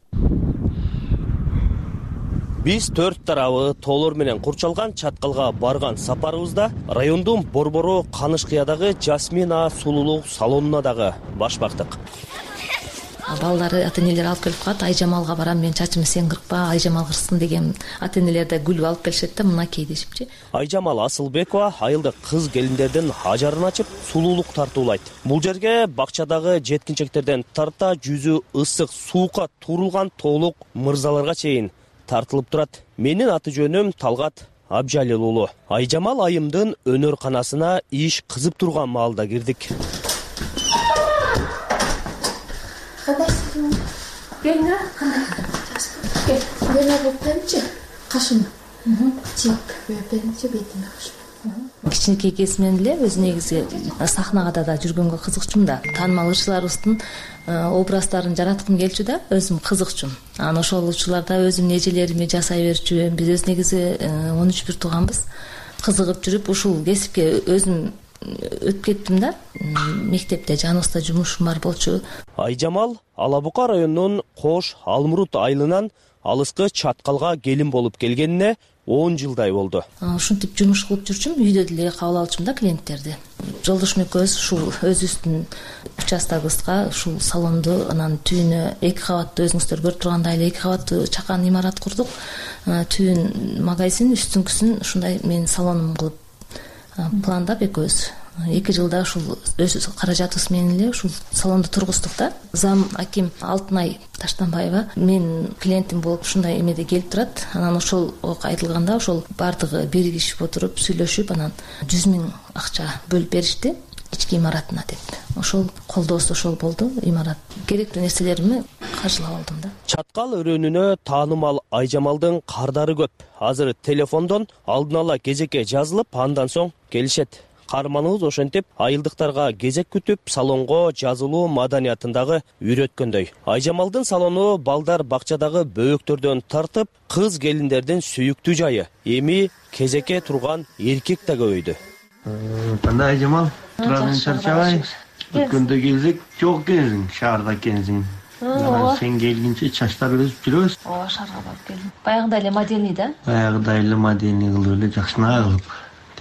S7: Биз төрт тарабы тоолор менен курчалган чаткалга барган сапарыбызда райондун Борбору Канышкыядагы Жасмина сулуулук салонуна дагы баш бактык.
S24: Балдары ата-энелер алып келип калат, Айжамалга барам, мен чачымды сен кыркпа, Айжамал кырсын деген ата-энелер да гүл алып келишет да, мынакей дешипчи.
S7: Айжамал Асылбекова айылдык кыз келиндердин ажарын ачып, сулуулук тартуулайт. Бул жерге бакчадагы жеткинчектерден тарта жүзү ысык суукка туурулган тоолук мырзаларга чейин тартылып турат. Менин аты жөнүм Талгат Абжалил уулу. Айжамал айымдын өнөр-канасына иш кызып турган маалда кирдик.
S24: Кандайсың? Келиңер, кандай? Кел, мен алып берчи. Кашым. Чек берчи бетиме кашым. Кичинекей кезинен эле өзү негизи сахнада да жүргөнгө кызыкчумун да. Таанымал ырчыларыбыздын образдарын жараткым келчү да, өзүм кызыкчумун. Анан ошол учурларда өзүмдүн эжелерими жасай берчүмүн. Биз өз негизи он үч бир тууганбыз. Кызыгып жүрүп ушул кесипке өзүм өтүп кеттим да. Мектепте жаныбызда жумушум бар болчу.
S7: Айжамал Ала Бука районунун Кош Алмурут айылынан алыскы чаткалга келин болуп келгенине он жылдай болду.
S24: Ушинтип жумуш кылып жүрчүм, үйдө деле кабыл алчумун да клиенттерди. Жолдошум экөөбүз ушул өзүбүздүн участогыбызга ушул салонду, анан түбүнө эки кабаттуу, өзүңүздөр көрүп тургандай эле эки кабаттуу чакан имарат курдук. Түбүн магазин, үстүңкүсүн ушундай менин салонум кылып пландап экөөбүз эки жылда ушул өз каражатыбыз менен эле ушул салонду тургуздук да. Зам аким Алтынай Таштанбаева мен клиентим болуп ушундай эмеде келип турат. Анан ошол айтылганда ошол бардыгы биригишип отуруп сүйлөшүп, анан жүз миң акча бөлүп беришти ички имаратына деп. Ошол колдоосу ошол болду. Имарат керектүү нерселеримди каржылап алдым да.
S7: Чаткал өрөөнүнө таанымал Айжамалдын кардары көп. Азыр телефондон алдын ала кезекке жазылып, андан соң келишет. Каарманыбыз ошентип айылдыктарга кезек күтүп, салонго жазылуу маданиятындагы үйрөткөндөй. Айжамалдын салону балдар бакчадагы бөөктөрдөн тартып, кыз келиндердин сүйүктүү жайы. Эми кезекке турган эркек да көбөйдү.
S25: Кандай Айжамал? Турадан чарчабай. Өткөндө келсек, жок экенсиң, шаарда экенсиң. Сен келгенче чачтар өсүп жүрөбүз.
S24: Ооба, шаарга барып келдим. Баягыдай эле модельный да?
S25: Баягыдай эле модельный кылып эле жакшынакай кылып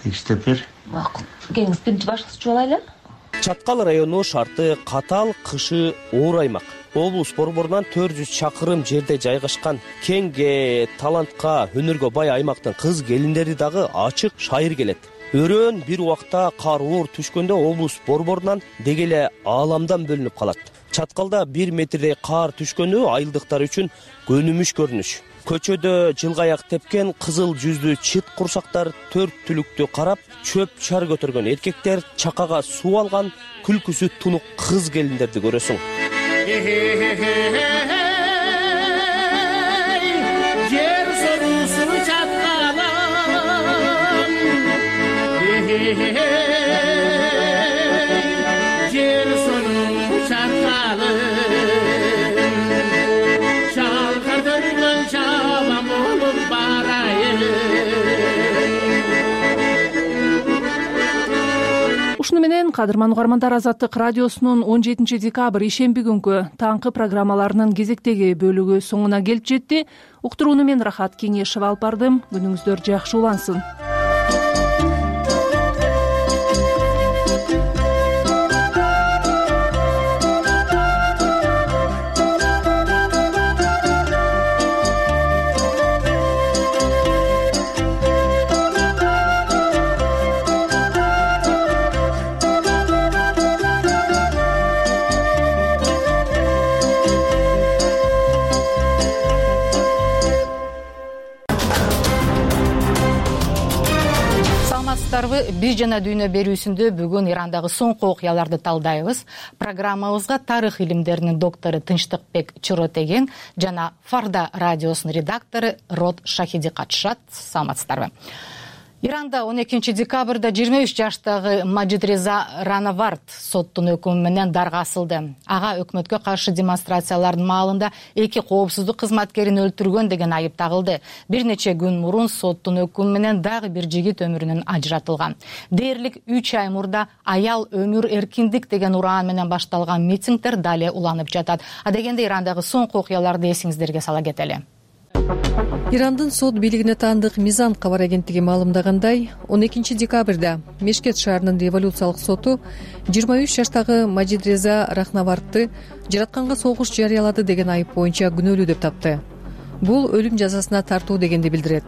S25: тегиштеп бер.
S24: Макул. Келиңиз, биринчи башкычы болайлы.
S7: Чаткал району шарты катаал, кышы оор аймак. Облус борборунан төрт жүз чакырым жерде жайгашкан кеңге, талантка, өнөргө бай аймактын кыз келиндери дагы ачык шайыр келет. өрөөн бир убакта кар оор түшкөндө облус борборунан деги эле ааламдан бөлүнүп калат. Чаткалда бир метрдей кар түшкөнү айылдыктар үчүн көнүмүш көрүнүш. Көчөдө жылгаяк тепкен кызыл жүздүү чыт курсактар төрт түлүктү карап, чөп чар көтөргөн эркектер, чакага суу алган күлкүсү тунук кыз келиндерди көрөсүң. Жер сорусу чаткалам, жер сорусу чаткалам, чалкадырган чабам болуп барайын.
S2: Ушуну менен кадырман угармандар, Азаттык радиосунун он жетинчи декабрь ишемби күнкү таңкы программаларынын кезектеги бөлүгү соңуна келип жетти. Уктурууну мен Рахат Кеңешева алып бардым. Күнүңүздөр жакшы улансын.
S17: Биз жана дүйнө берүүсүндө бүгүн Ирандагы соңку окуяларды талдайбыз. Программабызга тарых илимдеринин доктору Тынчтыкбек Чоротеген жана Фарда радиосунун редактору Род Шахиди катышат. Саламатсыздарбы? Иранда он экинчи декабрда жыйырма үч жаштагы Маджидреза Ранавард соттун өкүмү менен дарга асылды. Ага өкмөткө каршы демонстрациялардын маалында эки коопсуздук кызматкерин өлтүргөн деген айып тагылды. Бир нече күн мурун соттун өкүмү менен дагы бир жигит өмүрүнөн ажыратылган. Дээрлик үч ай мурда аял өмүр эркиндик деген ураан менен башталган митингдер дале уланып жатат. А дегенде Ирандагы соңку окуяларды эсиңиздерге сала кетели.
S19: Ирандын сот бийлигине таандык Мизан кабар агенттиги маалымдагандай, он экинчи декабрда Мешкет шаарынын революциялык соту жыйырма үч жаштагы Маджидреза Рахнавардты жаратканга согуш жарыялады деген айып боюнча күнөөлүү деп тапты. Бул өлүм жазасына тартуу дегенди билдирет.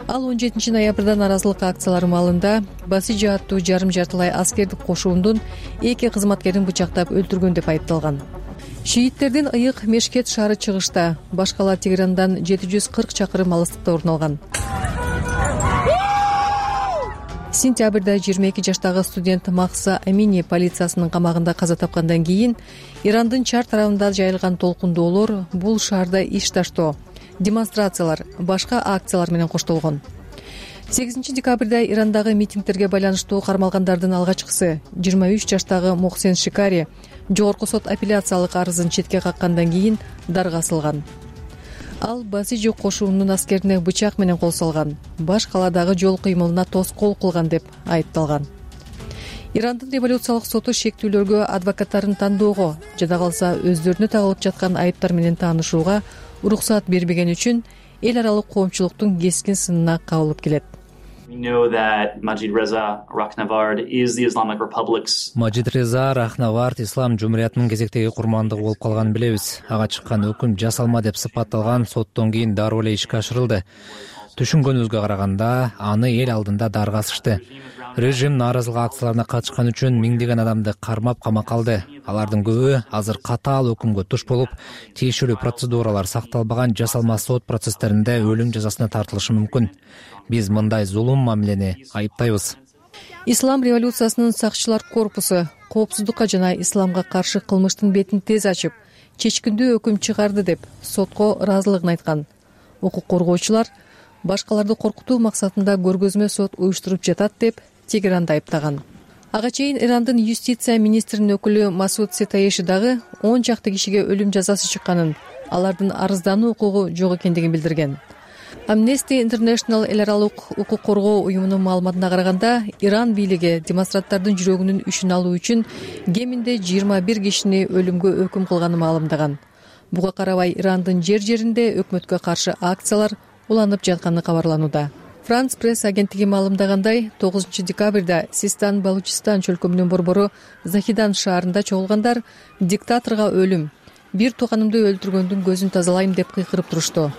S19: Ал он жетинчи ноябрда нааразылык акциялары маалында Басижи аттуу жарым жартылай аскердик кошуундун эки кызматкерин бычактап өлтүргөн деп айыпталган. Шииттердин ыйык Мешкет шаары чыгышта, баш кала Тегерандан жети жүз кырк чакырым алыстыкта орун алган. Сентябрда жыйырма эки жаштагы студент Махса Амини полициясынын камагында каза тапкандан кийин Ирандын чар тарабында жайылган толкундоолор бул шаарда иш таштоо, демонстрациялар, башка акциялар менен коштолгон. сегизинчи декабрда Ирандагы митингдерге байланыштуу кармалгандардын алгачкысы жыйырма үч жаштагы Мохсен Шикари жогорку сот апелляциялык арызын четке каккандан кийин дарга асылган. Ал Басижи кошуунун аскерине бычак менен кол салган, баш каладагы жол кыймылына тоскоол кылган деп айыпталган. Ирандын революциялык соту шектүүлөргө адвокаттарын тандоого жада калса өздөрүнө тагылып жаткан айыптар менен таанышууга уруксат бербеген үчүн эл аралык коомчулуктун кескин сынына кабылып келет.
S3: Маджидреза Рахнавард Ислам жумуриятынын кезектеги курмандыгы болуп калганын билебиз. Ага чыккан өкүм жасалма деп сыпатталган, соттон кийин дароо эле ишке ашырылды. Түшүнгөнүбүзгө караганда, аны эл алдында дарга асышты. Режим нааразылык акцияларына катышкан үчүн миңдеген адамды кармап камакка алды. Алардын көбү азыр катаал өкүмгө туш болуп, тиешелүү процедуралар сакталбаган жасалма сот процесстеринде өлүм жазасына тартылышы мүмкүн. Биз мындай зулум мамилени айыптайбыз.
S19: Ислам революциясынын сакчылар корпусу коопсуздукка жана исламга каршы кылмыштын бетин тез ачып, чечкиндүү өкүм чыгарды деп сотко ыраазылыгын айткан. Укук коргоочулар башкаларды коркутуу максатында көргөзмө сот уюштуруп жатат деп Тегеранды айыптаган. Ага чейин Ирандын юстиция министринин өкүлү Масуд Сетаеши дагы он чакты кишиге өлүм жазасы чыкканын, алардын арыздануу укугу жок экендигин билдирген. Amnesty International эл аралык укук коргоо уюмунун маалыматына караганда, Иран бийлиги демонстранттардын жүрөгүнүн үшүн алуу үчүн кеминде жыйырма бир кишини өлүмгө өкүм кылганын маалымдаган. Буга карабай Ирандын жер жеринде өкмөткө каршы акциялар уланып жатканы кабарланууда. Франц пресс агенттиги маалымдагандай, тогузунчу декабрда Систан Балучистан чөлкөмүнүн борбору Захидан шаарында чогулгандар диктаторго өлүм, бир тууганымды өлтүргөндүн көзүн тазалайм деп кыйкырып турушту.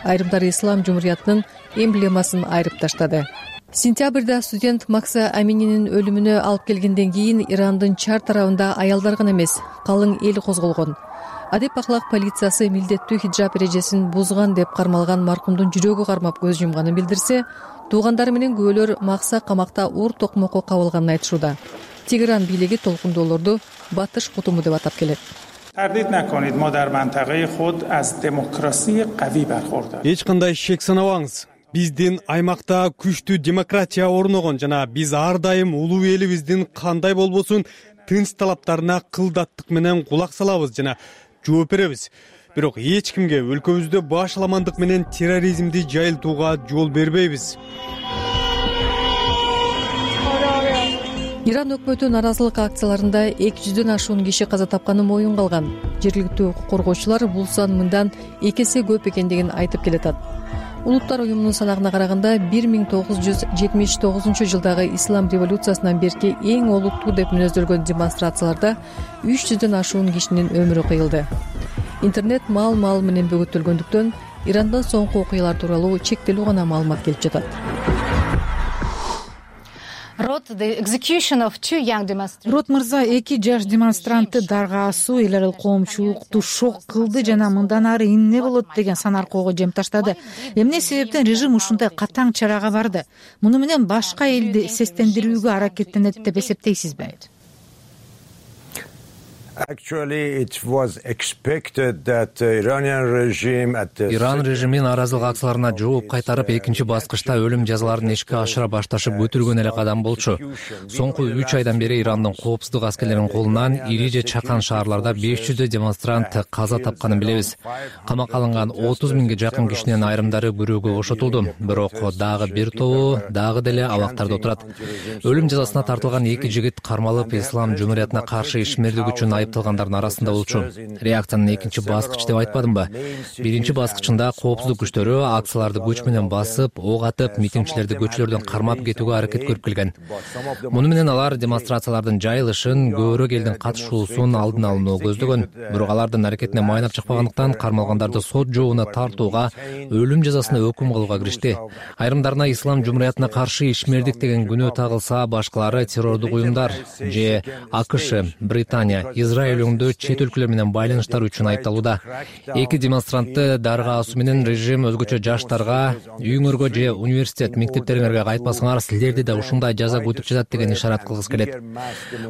S19: Айрымдары ислам жумуриятынын эмблемасын айрып таштады. Сентябрда студент Макса Амининин өлүмүнө алып келгенден кийин Ирандын чар тарабында аялдар гана эмес, калың эл козголгон. Адеп ахлак полициясы милдеттүү хиджаб эрежесин бузган деп кармалган маркумдун жүрөгү кармап көз жумганын билдирсе, туугандары менен күбөлөр Макса камакта уур токмокко кабылганын айтышууда. Тегеран бийлиги толкундоолорду батыш кутуму деп атап келет.
S5: Эч кандай шек санабаңыз. Биздин аймакта күчтүү демократия орногон жана биз ар дайым улуу элибиздин кандай болбосун тынч талаптарына кылдаттык менен кулак салабыз жана жооп беребиз. Бирок эч кимге өлкөбүздө башаламандык менен терроризмди жайылтууга жол бербейбиз.
S19: Иран өкмөтү нааразылык акцияларында эки жүздөн ашуун киши каза тапканы моюнга алган. Жергиликтүү укук коргоочулар бул сан мындан эки эсе көп экендигин айтып келатат. Улуттар уюмунун санагына караганда бир миң тогуз жүз жетимиш тогузунчу жылдагы ислам революциясынан берки эң олуттуу деп мүнөздөлгөн демонстрацияларда үч жүздөн ашуун кишинин өмүрү кыйылды. Интернет маал-маал менен бөгөтөлгөндүктөн Ирандан соңку окуялар тууралуу чектелүү гана маалымат келип жатат.
S6: Рот мырза эки жаш демонстрантты дарга асуу эл аралык коомчулукту шок кылды жана мындан ары эмне болот деген сан аркоого жем таштады. Эмне себептен режим ушундай катаң чарага барды? Муну менен башка элди сестендирүүгө аракеттенет деп эсептейсизби?
S3: Иран режими нааразылык акцияларына жооп кайтарып, экинчи баскычта өлүм жазаларын ишке ашыра башташы бүтүлгөн эле кадам болчу. Соңку үч айдан бери Ирандын коопсуздук аскерлеринин колунан ири же чакан шаарларда беш жүздөй демонстрант каза тапканын билебиз. Камакка алынган отуз миңге жакын кишинин айрымдары күрөөгө бошотулду, бирок дагы бир тобу дагы деле абактарда отурат. Өлүм жазасына тартылган эки жигит кармалып, ислам жумуриятына каршы ишмердик үчүн айыпталгандардын арасында болчу. Реакциянын экинчи баскычы деп айтпадымбы? Биринчи баскычында коопсуздук күчтөрү акцияларды күч менен басып, ок атып, митингчилерди көчөлөрдөн кармап кетүүгө аракет көрүп келген. Муну менен алар демонстрациялардын жайылышын, көбүрөөк элдин катышуусун алдын алууну көздөгөн. Бирок алардын аракетине майнап чыкпагандыктан кармалгандарды сот жообуна тартууга, өлүм жазасына өкүм кылууга киришти. Айрымдарына ислам жумуриятына каршы ишмердик деген күнөө тагылса, башкалары террордук уюмдар же АКШ, Британия, Израиль өңдө чет өлкөлөр менен байланыштар үчүн айыпталууда. Эки демонстрантты дарга асуу менен режим өзгөчө жаштарга үйүңөргө же университет мектептериңерге кайтпасаңар, силерди да ушундай жаза күтүп жатат деген ишарат кылгысы келет.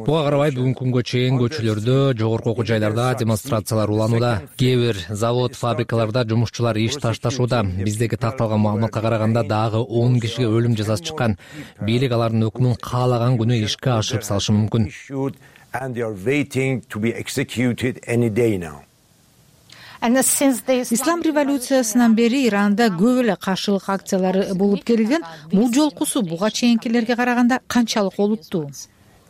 S3: Буга карабай бүгүнкү күнгө чейин көчөлөрдө, жогорку окуу жайларда демонстрациялар уланууда. Кээ бир завод, фабрикаларда жумушчулар иш ташташууда. Биздеги такталган маалыматка караганда дагы он кишиге өлүм жазасы чыккан. Бийлик алардын өкмүн каалаган күнү ишке ашырып салышы мүмкүн.
S8: And they are waiting to be executed any day now.
S6: Ислам революциясынан бери Иранда көп эле каршылык акциялары болуп келген. Бул жолкусу буга чейинкилерге караганда канчалык олуттуу?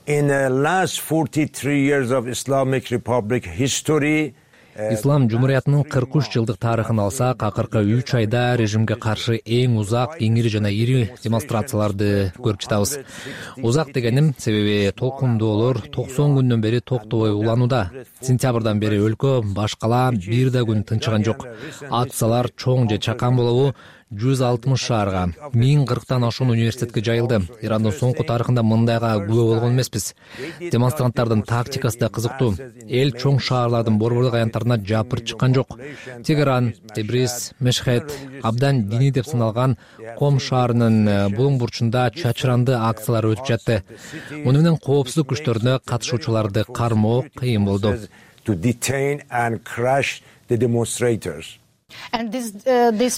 S8: In the last forty-three years of Islamic Republic history,
S3: Ислам жумуриятынын кырк үч жылдык тарыхын алсак, акыркы үч айда режимге каршы эң узак, эң ири жана ири демонстрацияларды көрүп жатабыз. Узак дегеним, себеби толкундоолор токсон күндөн бери токтобой уланууда. Сентябрдан бери өлкө башкала бир да күн тынчыган жок. Акциялар чоң же чакан болобу, жүз алтымыш шаарга, миң кырктан ашуун университетке жайылды. Ирандын соңку тарыхында мындайга күбө болгон эмеспиз. Демонстранттардын тактикасы да кызыктуу. Эл чоң шаарлардын борбордук аянттарына жапырып чыккан жок. Тегеран, Тебриз, Мешхед абдан диний деп саналган Ком шаарынын булуң бурчунда чачыранды акциялар өтүп жатты. Муну менен коопсуздук күчтөрүнө катышуучуларды кармоо кыйын болду.
S8: To detain and crush the demonstrators.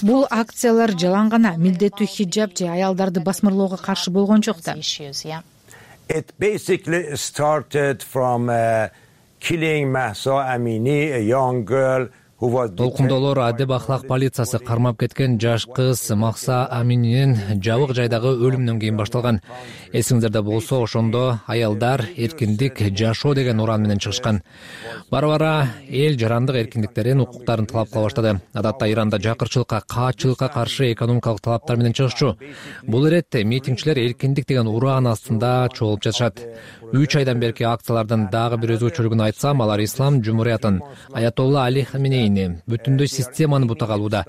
S6: Бул акциялар жалаң гана милдеттүү хиджаб же аялдарды басмырлоого каршы болгон жок да.
S8: It basically started from uh, killing Mahsa Amini, a young girl who was
S3: Толкундоолор адеп ахлак полициясы кармап кеткен жаш кыз Махса Амининин жабык жайдагы өлүмүнөн кийин башталган. Эсиңиздерде болсо, ошондо аялдар эркиндик, жашоо деген уран менен чыгышкан. Бара-бара эл жарандык эркиндиктерин, укуктарын талап кыла баштады. Адатта Иранда жакырчылыкка, каатчылыкка каршы экономикалык талаптар менен чыгышчу. Бул иретте митингчилер эркиндик деген уран астында чогулуп жатышат. Үч айдан берки акциялардын дагы бир өзгөчөлүгүн айтсам, алар ислам жумуриятын, Аятолла Али Хаменеи мээни, бүтүндөй системаны бутак алууда.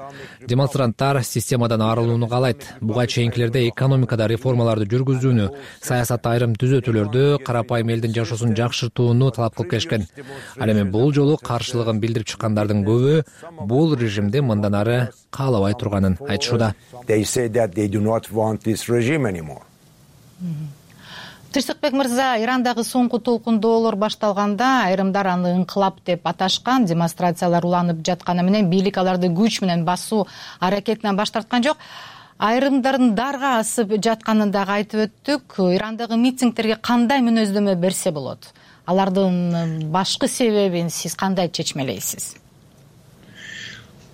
S3: Демонстранттар системадан арылууну каалайт. Буга чейинкилерде экономикада реформаларды жүргүзүүнү, саясатта айрым түзөтүүлөрдү, карапайым элдин жашоосун жакшыртууну талап кылып келишкен. Ал эми бул жолу каршылыгын билдирип чыккандардын көбү бул режимди мындан ары каалабай турганын айтышууда.
S17: Тынчтыкбек мырза, Ирандагы соңку толкундоолор башталганда айрымдар аны ыңкылап деп аташкан. Демонстрациялар уланып жатканы менен бийлик аларды күч менен басуу аракетинен баш тарткан жок. Айрымдардын дарга асып жатканын дагы айтып өттүк. Ирандагы митингдерге кандай мүнөздөмө берсе болот? Алардын башкы себебин сиз кандай чечмелейсиз?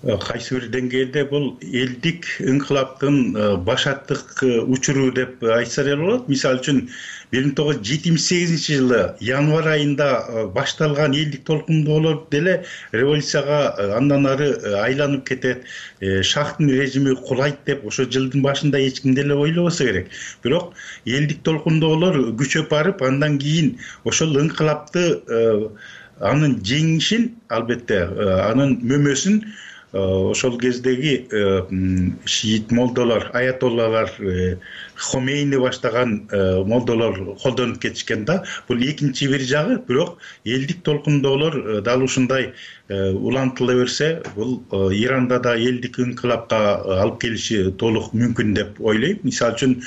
S9: Кайсы бир деңгээлде бул элдик ыңкылаптын башаттык учуру деп айтса деле болот. Мисалы үчүн бир миң тогуз жүз жетимиш сегизинчи жылы январь айында башталган элдик толкундоолор деле революцияга андан ары айланып кетет. Шахтын режими кулайт деп ошо жылдын башында эч ким деле ойлобосо керек. Бирок элдик толкундоолор күчөп барып, андан кийин ошол ыңкылапты анын жеңишин, албетте анын мөмөсүн ошол кездеги шиит молдолор, аятоллалар, Хомейни баштаган молдолор колдонуп кетишкен да. Бул экинчи бир жагы. Бирок элдик толкундоолор дал ушундай улантыла берсе, бул Иранда да элдик ыңкылапка алып келиши толук мүмкүн деп ойлойм. Мисалы үчүн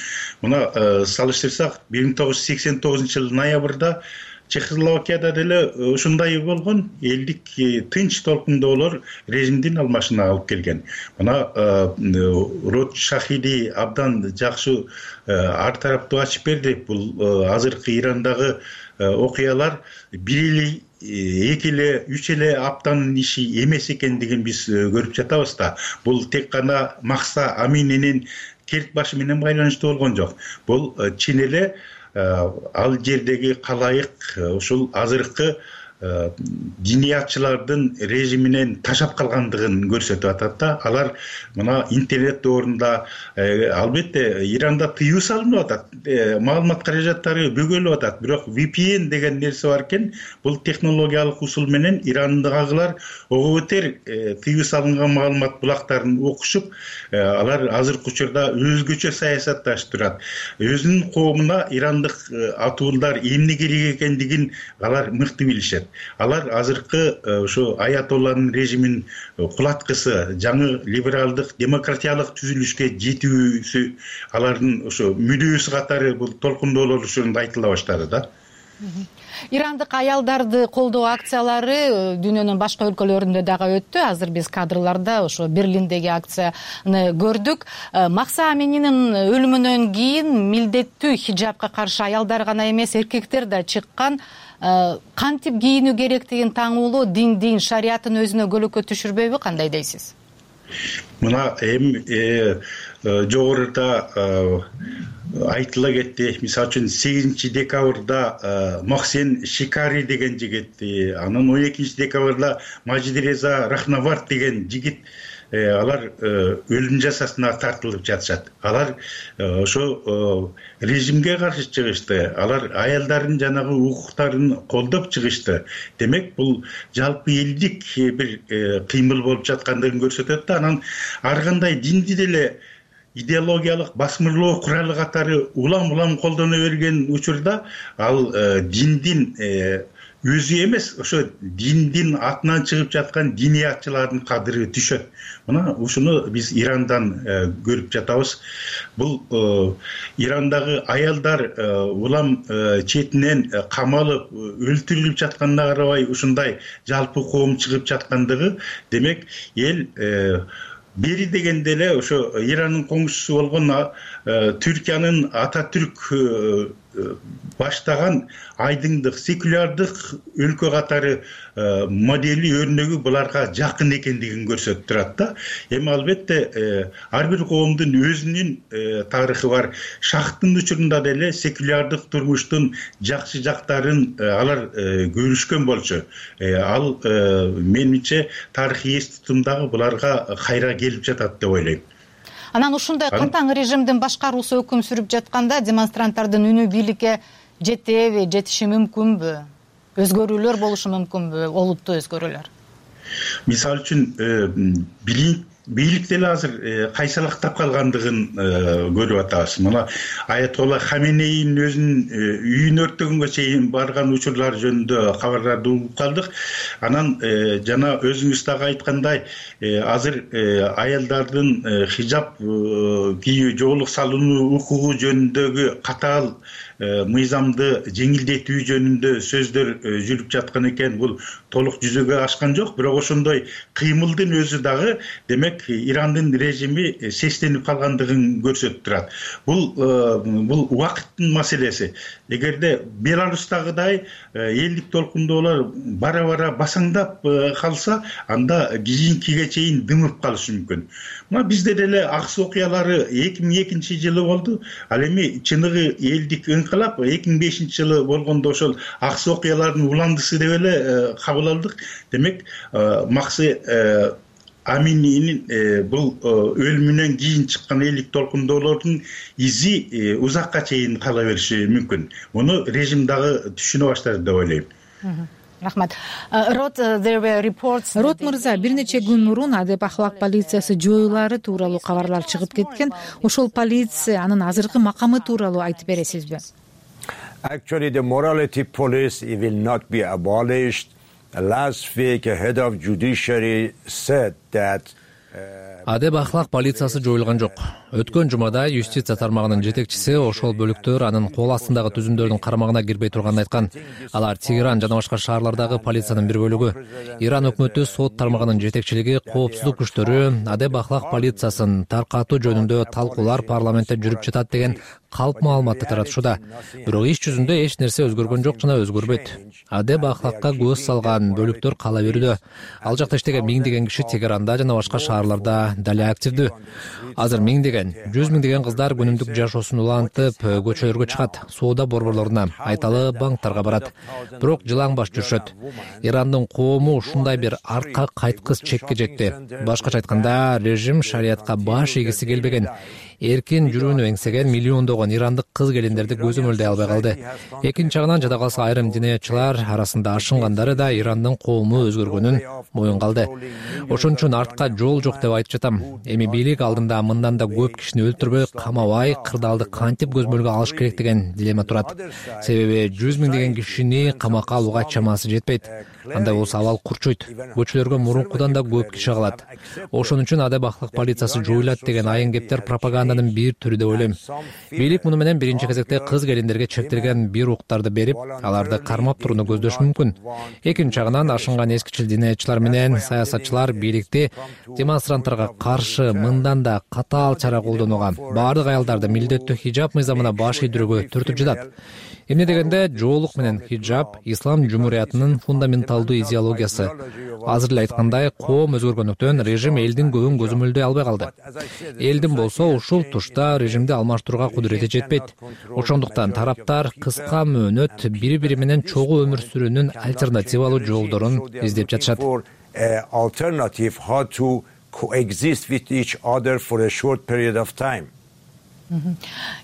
S9: мына салыштырсак, бир миң тогуз жүз сексен тогузунчу жылдын ноябрда Чехословакияда деле ушундай болгон. Элдик тынч толкундоолор режимдин алмашына алып келген. Мына Род Шахиди абдан жакшы ар тараптуу ачып берди. Бул азыркы Ирандагы окуялар бир эле, эки эле, үч эле аптанын иши эмес экендигин биз көрүп жатабыз да. Бул тек гана Махса Амининин керт башы менен байланыштуу болгон жок. Бул чын эле ал жердеги калайык ушул азыркы диниятчылардын режиминен ташап калгандыгын көрсөтүп атат да. Алар мына интернет доорунда албетте Иранда тыюу салынып атат, маалымат каражаттары бөгөлүп атат. Бирок ви пи эн деген нерсе бар экен. Бул технологиялык усул менен Ирандагылар ого бетер тыюу салынган маалымат булактарын окушуп, алар азыркы учурда өзгөчө саясатташып турат. Өзүнүн коомуна ирандык атуулдар эмне керек экендигин алар мыкты билишет. Алар азыркы ошо аятолланын режимин кулаткысы, жаңы либералдык, демократиялык түзүлүшкө жетүүсү алардын ошо мүдөөсү катары бул толкундоолор ушунда айтыла баштады да.
S17: Ирандык аялдарды колдоо акциялары дүйнөнүн башка өлкөлөрүндө дагы өттү. Азыр биз кадрларда ошо Берлиндеги акцияны көрдүк. Махса Амининин өлүмүнөн кийин милдеттүү хиджабка каршы аялдар гана эмес, эркектер да чыккан. Кантип кийинүү керектигин таңуулоо диндин, шариаттын өзүнө көлөкө түшүрбөйбү, кандай дейсиз?
S9: Мына эми жогоруда айтыла кетти. Мисалы үчүн сегизинчи декабрда Мохсен Шикари деген жигит, анан он экинчи декабрда Мажидреза Рахнавард деген жигит алар өлүм жазасына тартылып жатышат. Алар ошо режимге каршы чыгышты. Алар аялдардын жанагы укуктарын колдоп чыгышты. Демек, бул жалпы элдик бир кыймыл болуп жаткандыгын көрсөтөт да. Анан ар кандай динди деле идеологиялык басмырлоо куралы катары улам-улам колдоно берген учурда ал диндин өзү эмес, ошо диндин атынан чыгып жаткан диниятчылардын кадыры түшөт. Мына ушуну биз Ирандан көрүп жатабыз. Бул Ирандагы аялдар улам четинен камалып, өлтүрүлүп жатканына карабай ушундай жалпы коом чыгып жаткандыгы, демек эл бери дегенде эле ошо Иранын коңшусу болгон Түркиянын Ататүрк баштаган айдыңдык, секулярдык өлкө катары модели, өрнөгү буларга жакын экендигин көрсөтүп турат да. Эми албетте ар бир коомдун өзүнүн тарыхы бар. Шахтын учурунда деле секулярдык турмуштун жакшы жактарын алар көрүшкөн болчу. Ал менимче тарыхый эс тутумдагы буларга кайра келип жатат деп ойлойм.
S17: Анан ушундай катаң режимдин башкаруусу өкүм сүрүп жатканда демонстранттардын үнү бийликке жетеби, жетиши мүмкүнбү? Өзгөрүүлөр болушу мүмкүнбү? Олуттуу өзгөрүүлөр?
S9: мисалы үчүн бийлик деле азыр кайсалактап калгандыгын көрүп атабыз. Мына Аятолла Хаменейдин өзүнүн үйүн өрттөгөнгө чейин барган учурлар жөнүндө кабарларды угуп калдык. Анан жана өзүңүз дагы айткандай, азыр аялдардын хижаб кийүү, жоолук салууну укугу жөнүндөгү катаал мыйзамды жеңилдетүү жөнүндө сөздөр жүрүп жаткан экен. Бул толук жүзөгө ашкан жок, бирок ошондой кыймылдын өзү дагы демек Ирандын режими сестенип калгандыгын көрсөтүп турат. Бул бул убакыттын маселеси. Эгерде Беларустагыдай элдик толкундоолор бара-бара басаңдап калса, анда кийинкиге чейин дымып калышы мүмкүн. Мына бизде деле аксы окуялары эки миң экинчи жылы болду. Ал эми чыныгы элдик инкылап эки миң бешинчи жылы болгондо ошол аксы окуялардын уландысы деп эле кабыл алдык. Демек, Максы Амининин бул өлүмүнөн кийин чыккан элдик толкундоолордун изи узакка чейин кала бериши мүмкүн. Муну режим дагы түшүнө баштады деп ойлойм.
S17: Рахмат. Рот
S6: мырза, бир нече күн мурун Адеп ахлак полициясы жоюлары тууралуу кабарлар чыгып кеткен. Ошол полиция анын азыркы макамы тууралуу айтып бересизби?
S8: Actually, the morality police will not be abolished. Last week, the head of judiciary said that
S3: Адеп ахлак полициясы жоюлган жок. Өткөн жумада юстиция тармагынын жетекчиси ошол бөлүктөр анын кол астындагы түзүмдөрдүн кармагына кирбей турганын айткан. Алар Тегеран жана башка шаарлардагы полициянын бир бөлүгү. Иран өкмөтү сот тармагынын жетекчилиги, коопсуздук күчтөрү Адеп ахлак полициясын таркатуу жөнүндө талкуулар парламентте жүрүп жатат деген калп маалыматты таратышууда. Бирок иш жүзүндө эч нерсе өзгөргөн жок жана өзгөрбөйт. Адеп ахлакка көз салган бөлүктөр кала берүүдө. Ал жакта иштеген миңдеген киши Тегеранда жана башка шаарларда дале активдүү. Азыр миңдеген, жүз миңдеген кыздар күнүмдүк жашоосун улантып көчөлөргө чыгат, соода борборлоруна, айталы банктарга барат. Бирок жылаңбаш жүрүшөт. Ирандын коому ушундай бир артка кайткыс чекке жетти. Башкача айтканда, режим шариятка баш ийгиси келбеген. Эркин жүрүүнү эңсеген миллиондогон ирандык кыз келиндерди көзөмөлдөй албай калды. Экинчи жагынан жада калса айрым диниятчылар арасында ашынгандары да Ирандын коому өзгөргөнүн моюнга алды. Ошон үчүн артка жол жок деп айтып жатам. Эми бийлик алдында мындан да көп кишини өлтүрбөй, камабай, кырдаалды кантип көзмөлгө алыш керек деген дилемма турат. Себеби жүз миңдеген кишини камакка алууга чамасы жетпейт. Андай болсо абал курчуйт. Көчөлөргө мурункудан да көп киши калат. Ошон үчүн Адеп ахлак полициясы жоюлат деген айын кептер пропаганданын бир түрү деп ойлойм. Бийлик муну менен биринчи кезекте кыз келиндерге чектелген бир уктарды берип, аларды кармап турууну көздөшү мүмкүн. Экинчи жагынан ашынган эскичил диниятчылар менен саясатчылар бийликти демонстранттарга каршы мындан да катаал чара колдонууга, баардык аялдарды милдеттүү хижаб мыйзамына баш ийдирүүгө түртүп жатат. Эмне дегенде, жоолук менен хижаб ислам жумуриятынын фундаменталдуу идеологиясы. Азыр эле айткандай, коом өзгөргөндүктөн режим элдин көбүн көзөмөлдөй албай калды. Элдин болсо ушул тушта режимди алмаштырууга кудурети жетпейт. Ошондуктан тараптар кыска мөөнөт бири-бири менен чогуу өмүр сүрүүнүн альтернативалуу жолдорун издеп жатышат.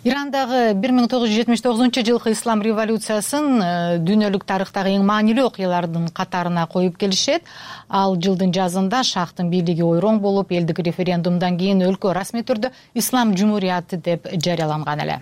S17: Ирандагы бир миң тогуз жүз жетимиш тогузунчу жылкы ислам революциясын дүйнөлүк тарыхтагы эң маанилүү окуялардын катарына коюп келишет. Ал жылдын жазында шахтын бийлиги ойроң болуп, элдик референдумдан кийин өлкө расмий түрдө ислам жумурияты деп жарыяланган эле.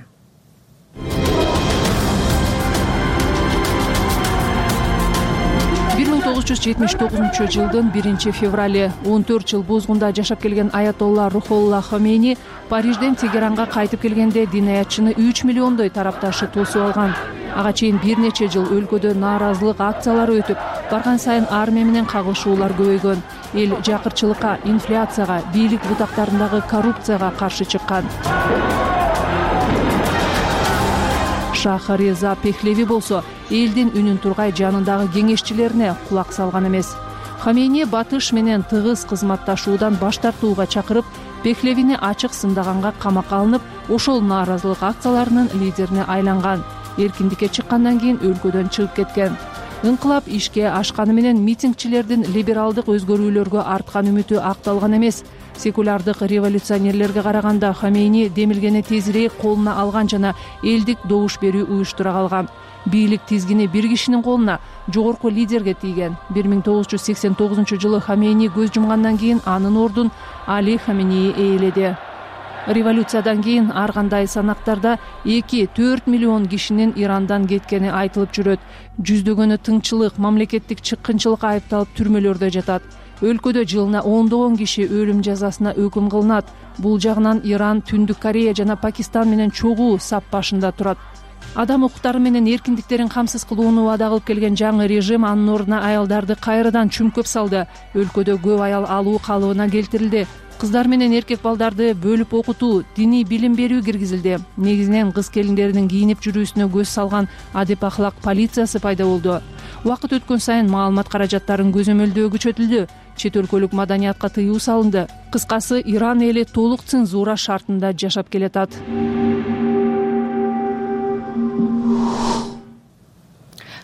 S2: бир миң тогуз жүз жетимиш тогузунчу жылдын биринчи феврали он төрт жыл бузгунда жашап келген Аятолла Рухолла Хомейни Парижден Тегеранга кайтып келгенде динаятчыны үч миллиондой тарапташы тосуп алган. Ага чейин бир нече жыл өлкөдө нааразылык акциялары өтүп, барган сайын армия менен кагылышуулар көбөйгөн. Эл жакырчылыкка, инфляцияга, бийлик бутактарындагы коррупцияга каршы чыккан. Шахареза Пехлеви болсо элдин үнүн тургай жанындагы кеңешчилерине кулак салган эмес. Хамейни батыш менен тыгыз кызматташуудан баш тартууга чакырып, Пехлевини ачык сындаганга камакка алынып, ошол нааразылык акцияларынын лидерине айланган. Эркиндикке чыккандан кийин өлкөдөн чыгып кеткен. Инкылап ишке ашканы менен митингчилердин либералдык өзгөрүүлөргө арткан үмүтү акталган эмес. Секулярдык революционерлерге караганда Хамейни демилгени тезирээк колуна алган жана элдик добуш берүү уюштура калган. бийлик тизгини бир кишинин колуна, жогорку лидерге тийген. бир миң тогуз жүз сексен тогузунчу жылы Хамейни көз жумгандан кийин анын ордун Али Хамейни ээледи. Революциядан кийин ар кандай санактарда эки төрт миллион кишинин Ирандан кеткени айтылып жүрөт. Жүздөгөнү тыңчылык, мамлекеттик чыккынчылыкка айыпталып түрмөлөрдө жатат. Өлкөдө жылына ондогон киши өлүм жазасына өкүм кылынат. Бул жагынан Иран, Түндүк Корея жана Пакистан менен чогуу сап башында турат. Адам укуктары менен эркиндиктерин камсыз кылууну убада кылып келген жаңы режим анын ордуна аялдарды кайрадан чүмкөп салды. Өлкөдө көп аял алуу калыбына келтирилди. Кыздар менен эркек балдарды бөлүп окутуу, диний билим берүү киргизилди. Негизинен кыз келиндеринин кийинип жүрүүсүнө көз салган адеп ахлак полициясы пайда болду. Убакыт өткөн сайын маалымат каражаттарын көзөмөлдөө күчөтүлдү. Чет өлкөлүк маданиятка тыюу салынды. Кыскасы, Иран эли толук цензура шартында жашап келатат.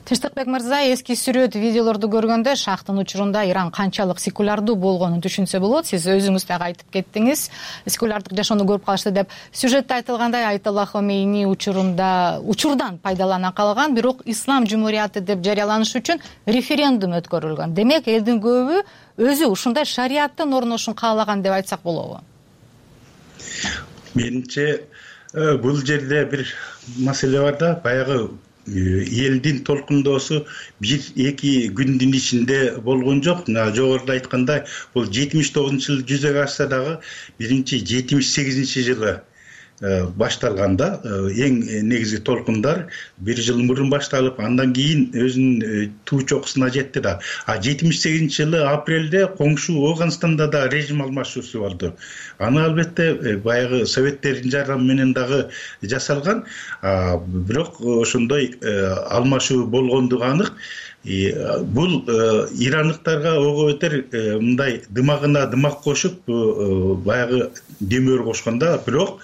S17: Тынчтыкбек мырза, эски сүрөт, видеолорду көргөндө шахтын учурунда Иран канчалык секулярдуу болгонун түшүнсө болот. Сиз өзүңүз дагы айтып кеттиңиз, секулярдык жашоону көрүп калышты деп. Сюжетте айтылгандай, Айталла Хомейни учурунда учурдан пайдалана калган, бирок ислам жумурияты деп жарыяланыш үчүн референдум өткөрүлгөн. Демек, элдин көбү өзү ушундай шариаттын орношун каалаган деп айтсак болобу?
S9: Менимче, бул жерде бир маселе бар да, баягы элдин толкундоосу бир эки күндүн ичинде болгон жок. Мына жогоруда айткандай, бул жетимиш тогузунчу жылы жүзөгө ашса дагы биринчи жетимиш сегизинчи жылы башталганда, эң негизги толкундар бир жыл мурун башталып, андан кийин өзүнүн туу чокусуна жетти да. А жетимиш сегизинчи жылы апрелде коңшу Ооганстанда да режим алмашуусу болду. Аны албетте баягы советтердин жардамы менен дагы жасалган, бирок ошондой алмашуу болгондугу анык. Бул ирандыктарга ого бетер мындай дымагына дымак кошуп, баягы демөр кошконда, бирок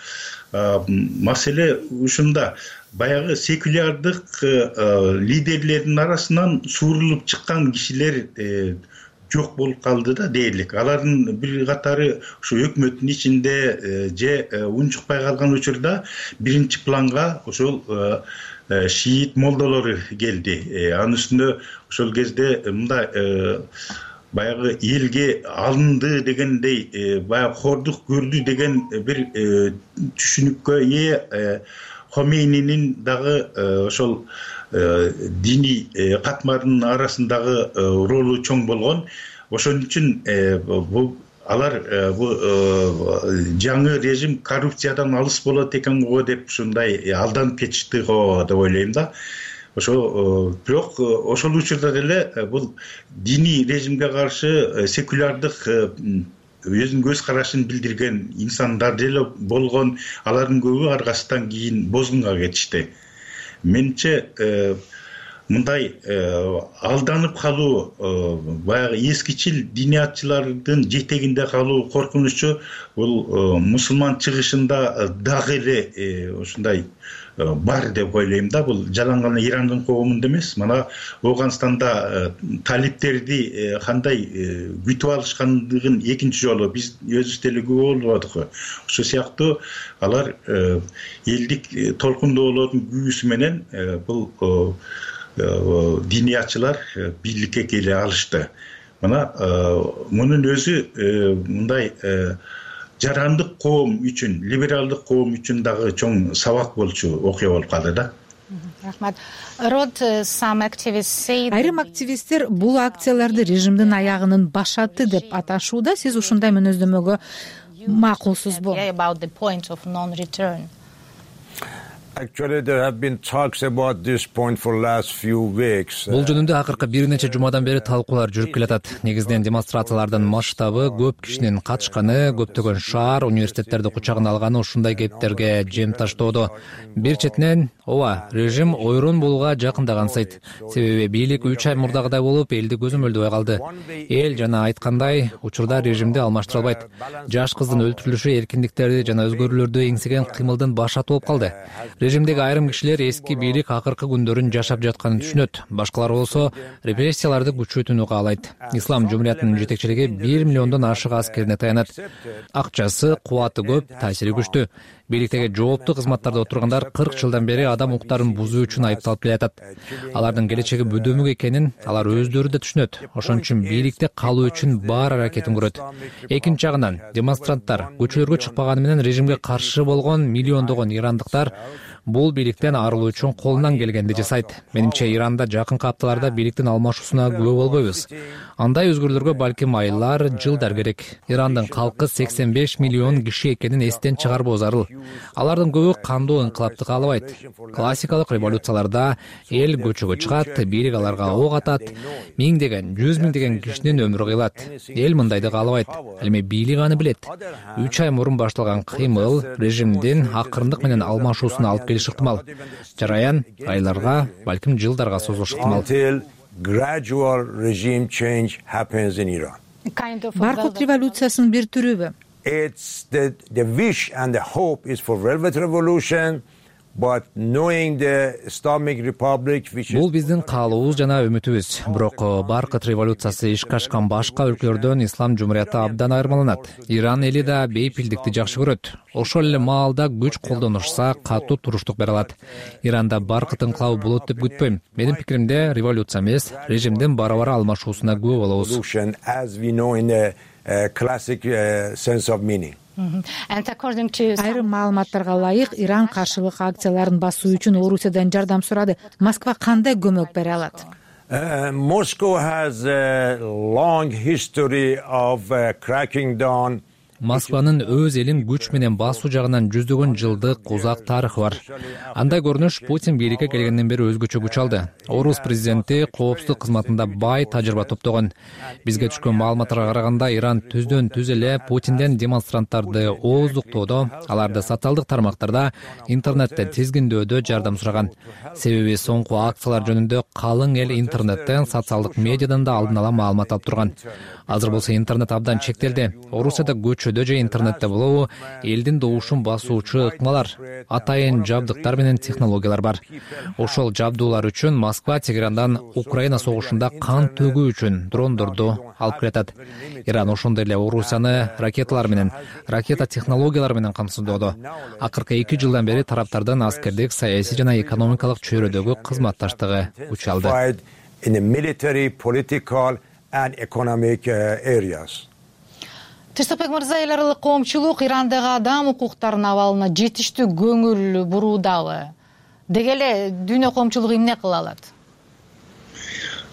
S9: маселе ушунда. Баягы секулярдык лидерлердин арасынан суурулуп чыккан кишилер жок болуп калды да дээрлик. Алардын бир катары ушу өкмөттүн ичинде же унчукпай калган учурда биринчи планга ошол шиит молдолору келди. Анын үстүнө ошол кезде мындай баягы элге алынды дегендей, баягы хордук көрдү деген бир түшүнүккө ээ Хомейнинин дагы ошол диний катмардын арасындагы ролу чоң болгон. Ошон үчүн бул алар бул жаңы режим коррупциядан алыс болот экен го деп ушундай алданып кетишти го деп ойлойм да. Ошо бирок ошол учурда деле бул диний режимге каршы секулярдык өзүнүн көз карашын билдирген инсандар деле болгон, алардын көбү аркасынан кийин бозгунга кетишти. Менимче мындай алданып калуу, баягы эскичил диниятчылардын жетегинде калуу коркунучу бул мусулман чыгышында дагы эле ушундай бар деп ойлойм да. Бул жалаң гана Ирандын коомунда эмес, мына Ооганстанда талиптерди кандай күтүп алышкандыгын экинчи жолу биз өзүбүз деле күбө болдук. Ошол сыяктуу алар элдик толкундоолордун күбүсү менен бул диниятчылар бийликке келе алышты. Мына мунун өзү мындай жарандык коом үчүн, либералдык коом үчүн дагы чоң сабак болчу окуя болуп калды да.
S17: Рахмат.
S6: Айрым активисттер бул акцияларды режимдин аягынын башаты деп аташууда. Сиз ушундай мүнөздөмөгө макулсузбу?
S8: Actually, there have been talks about this point for last few weeks.
S3: Бул жөнүндө акыркы бир нече жумадан бери талкуулар жүрүп келатат. Негизинен демонстрациялардын масштабы, көп кишинин катышканы, көптөгөн шаар, университеттерди кучагына алганы ушундай кептерге жем таштоодо. Бир четинен, ооба, режим ойрон болууга жакындагансыйт. Себеби бийлик үч ай мурдагыдай болуп, элди көзөмөлдөбөй калды. Эл жана айткандай, учурда режимди алмаштыра албайт. Жаш кыздын өлтүрүлүшү эркиндиктерди жана өзгөрүүлөрдү эңсеген кыймылдын башаты болуп калды. Режимдеги айрым кишилер эски бийлик акыркы күндөрүн жашап жатканын түшүнөт, башкалар болсо репрессияларды күчөтүүнү каалайт. Ислам жумуриятынын жетекчилиги бир миллиондон ашык аскерине таянат. Акчасы, кубаты көп, таасири күчтүү. Бийликтеги жооптуу кызматтарда отургандар кырк жылдан бери адам укуктарын бузуу үчүн айыпталып келатат. Алардын келечеги бөдөмүк экенин алар өздөрү да түшүнөт. Ошон үчүн бийликте калуу үчүн бар аракетин көрөт. Экинчи жагынан демонстранттар көчөлөргө чыкпаганы менен режимге каршы болгон миллиондогон ирандыктар бул бийликтен арылуу үчүн колунан келгенди жасайт. Менимче Иранда жакынкы апталарда бийликтин алмашуусуна күбө болбойбуз. Андай өзгөрүүлөргө балким айлар, жылдар керек. Ирандын калкы сексен беш миллион киши экенин эстен чыгарбоо зарыл. Алардын көбү кандуу инкылапты каалабайт. Классикалык революцияларда эл көчөгө чыгат, бийлик аларга ок атат, миңдеген, жүз миңдеген кишинин өмүрү кыйылат. Эл мындайды каалабайт. Ал эми бийлик аны билет. үч ай мурун башталган кыймыл режимдин акырындык менен алмашуусуна алып келиши ыктымал. Жараян айларга, балким жылдарга созулушу ыктымал.
S6: Баркут революциясынын бир түрүбү?
S8: It's the the wish and the hope is for velvet revolution, but knowing the Islamic Republic which
S3: Бул биздин каалообуз жана үмүтүбүз. Бирок Баркут революциясы ишке ашкан башка өлкөлөрдөн ислам жумурияты абдан айырмаланат. Иран эли да бейпилдикти жакшы көрөт. Ошол эле маалда күч колдонушса, катуу туруштук бере алат. Иранда Баркут инкылабы болот деп күтпөйм. Менин пикиримде революция эмес, режимдин бара-бара алмашуусуна күбө болобуз.
S8: Classic sense of meaning.
S6: Айрым маалыматтарга ылайык Иран каршылык акцияларын басуу үчүн Орусиядан жардам сурады. Москва кандай көмөк бере алат?
S8: Moscow has a long history of cracking down.
S3: Москванын өз элин күч менен басуу жагынан жүздөгөн жылдык узак тарыхы бар. Андай көрүнүш Путин бийликке келгенден бери өзгөчө күч алды. Орус президенти коопсуздук кызматында бай тажрыйба топтогон. Бизге түшкөн маалыматтарга караганда Иран түздөн түз эле Путинден демонстранттарды ооздуктоодо, аларды социалдык тармактарда, интернетте тизгиндөөдө жардам сураган. Себеби соңку акциялар жөнүндө калың эл интернеттен, социалдык медиадан да алдын ала маалымат алып турган. Азыр болсо интернет абдан чектелди. Орусияда көчөдө же интернетте болобу элдин добушун басуучу ыкмалар, атайын жабдыктар менен технологиялар бар. Ошол жабдуулар үчүн Москва Тегерандан Украина согушунда кан төгүү үчүн дрондорду алып келатат. Иран ошондой эле Орусияны ракеталар менен, ракета технологиялары менен камсыздоодо. Акыркы эки жылдан бери тараптардын аскердик, саясий жана экономикалык чөйрөдөгү кызматташтыгы күч алды.
S8: And economic uh, areas.
S17: Тыштыкбек мырза, эл аралык коомчулук Ирандагы адам укуктарынын абалына жетиштүү көңүл буруудабы? Деги эле дүйнө коомчулугу эмне кыла алат?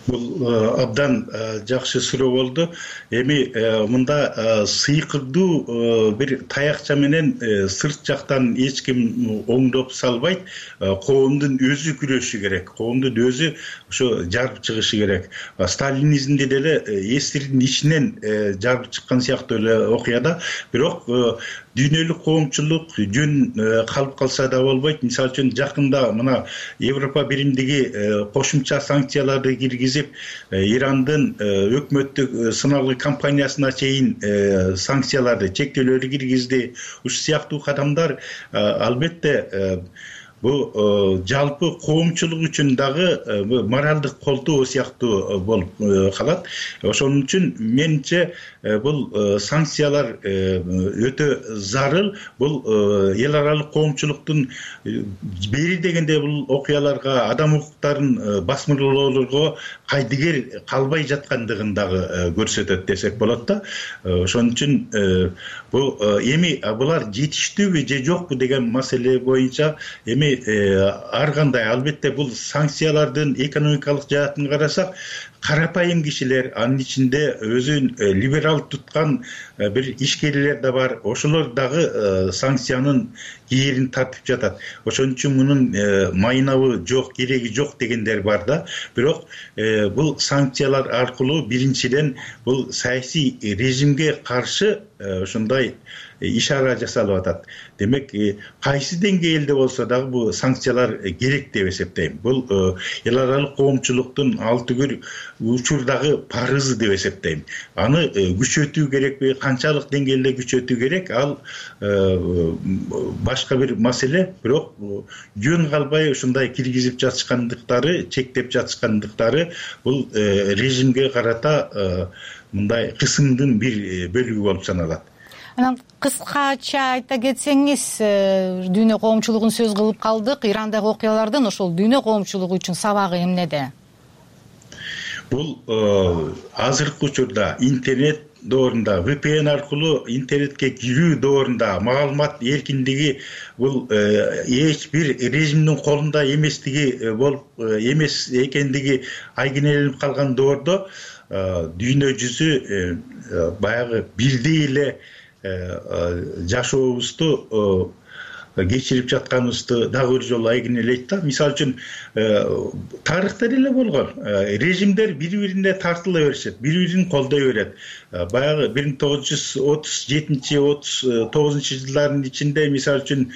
S9: Бул абдан жакшы суроо болду. Эми мында сыйкырдуу бир таякча менен сырт жактан эч ким оңдоп салбайт. Коомдун өзү күрөшү керек. Коомдун өзү ошо жарып чыгышы керек. Сталинизмде деле эстирдин ичинен жарып чыккан сыяктуу эле окуяда. Бирок дүйнөлүк коомчулук жөн калып калса да болбойт. Мисалы үчүн жакында мына Европа биримдиги кошумча санкцияларды киргизип, Ирандын өкмөттүк сыналгы компаниясына чейин санкцияларды, чектөөлөрдү киргизди. Ушул сыяктуу кадамдар албетте бул жалпы коомчулук үчүн дагы моралдык колтоо сыяктуу болуп калат. Ошон үчүн менимче бул санкциялар өтө зарыл. Бул эл аралык коомчулуктун бери дегенде бул окуяларга, адам укуктарын басмырлоолорго кайдыгер калбай жаткандыгын дагы көрсөтөт десек болот да. Ошон үчүн бул эми булар жетиштүүбү же жокпу деген маселе боюнча эми ар кандай, албетте бул санкциялардын экономикалык жаатын карасак, карапайым кишилер, анын ичинде өзүн либерал туткан бир ишкерлер да бар. Ошолор дагы санкциянын кээрин тартып жатат. Ошон үчүн мунун майнабы жок, кереги жок дегендер бар да. Бирок бул санкциялар аркылуу биринчиден бул саясий режимге каршы ошондой ишара жасалып атат. Демек кайсы деңгээлде болсо дагы бул санкциялар керек деп эсептейм. Бул эл аралык коомчулуктун ал түгүл учурдагы парызы деп эсептейм. Аны күчөтүү керекпи, канчалык деңгээлде күчөтүү керек, ал башка бир маселе. Бирок жөн калбай ушундай киргизип жатышкандыктары, чектеп жатышкандыктары бул режимге карата мындай кысымдын бир бөлүгү болуп саналат.
S17: Анан кыскача айта кетсеңиз, дүйнө коомчулугун сөз кылып калдык. Ирандагы окуялардын ошол дүйнө коомчулугу үчүн сабагы эмнеде?
S9: Бул азыркы учурда интернет доорунда, ви пи эн аркылуу интернетке кирүү доорунда маалымат эркиндиги бул эч бир режимдин колунда эместиги болуп эмес экендиги айгинеленип калган доордо дүйнө жүзү баягы бирдей эле жашообузду кечирип жатканыбызды дагы бир жолу айгинелейт да. Мисалы үчүн тарыхта деле болгон. Режимдер бири-бирине тартыла беришет, бири-бирин колдой берет. Баягы бир миң тогуз жүз отуз жетинчи отуз тогузунчу жылдардын ичинде мисалы үчүн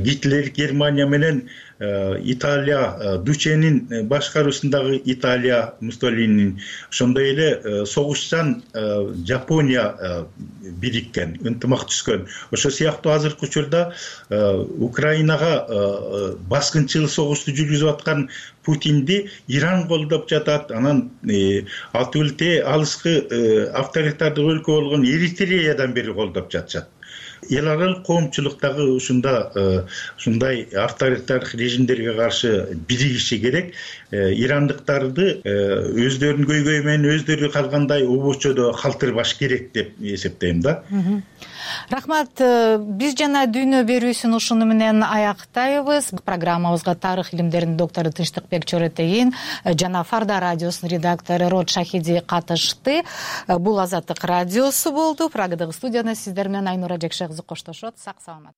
S9: Гитлер Германия менен Италия, Дученин башкаруусундагы Италия, Муссолинин, ошондой эле согушчан Жапония бириккен, ынтымак түзгөн. Ошо сыяктуу азыркы учурда Украинага баскынчыл согушту жүргүзүп аткан Путинди Иран колдоп жатат. Анан ал түгүл алыскы авторитардык өлкө болгон Эритреядан бери колдоп жатышат. Эл аралык коомчулуктагы ушунда ушундай авторитардык режимдерге каршы биригиши керек. Ирандыктарды өздөрүнүн көйгөйү менен өздөрү калгандай обочодо калтырбаш керек деп эсептейм да.
S17: Рахмат. Биз жана дүйнө берүүсүн ушуну менен аяктайбыз. Программабызга тарых илимдеринин доктору Тынчтыкбек Чоротейин жана Фарда радиосунун редактору Род Шахиди катышты. Бул Азаттык радиосу болду. Прагадагы студияда сиздер менен Айнура Жекше кызы коштошот. Сак саламат.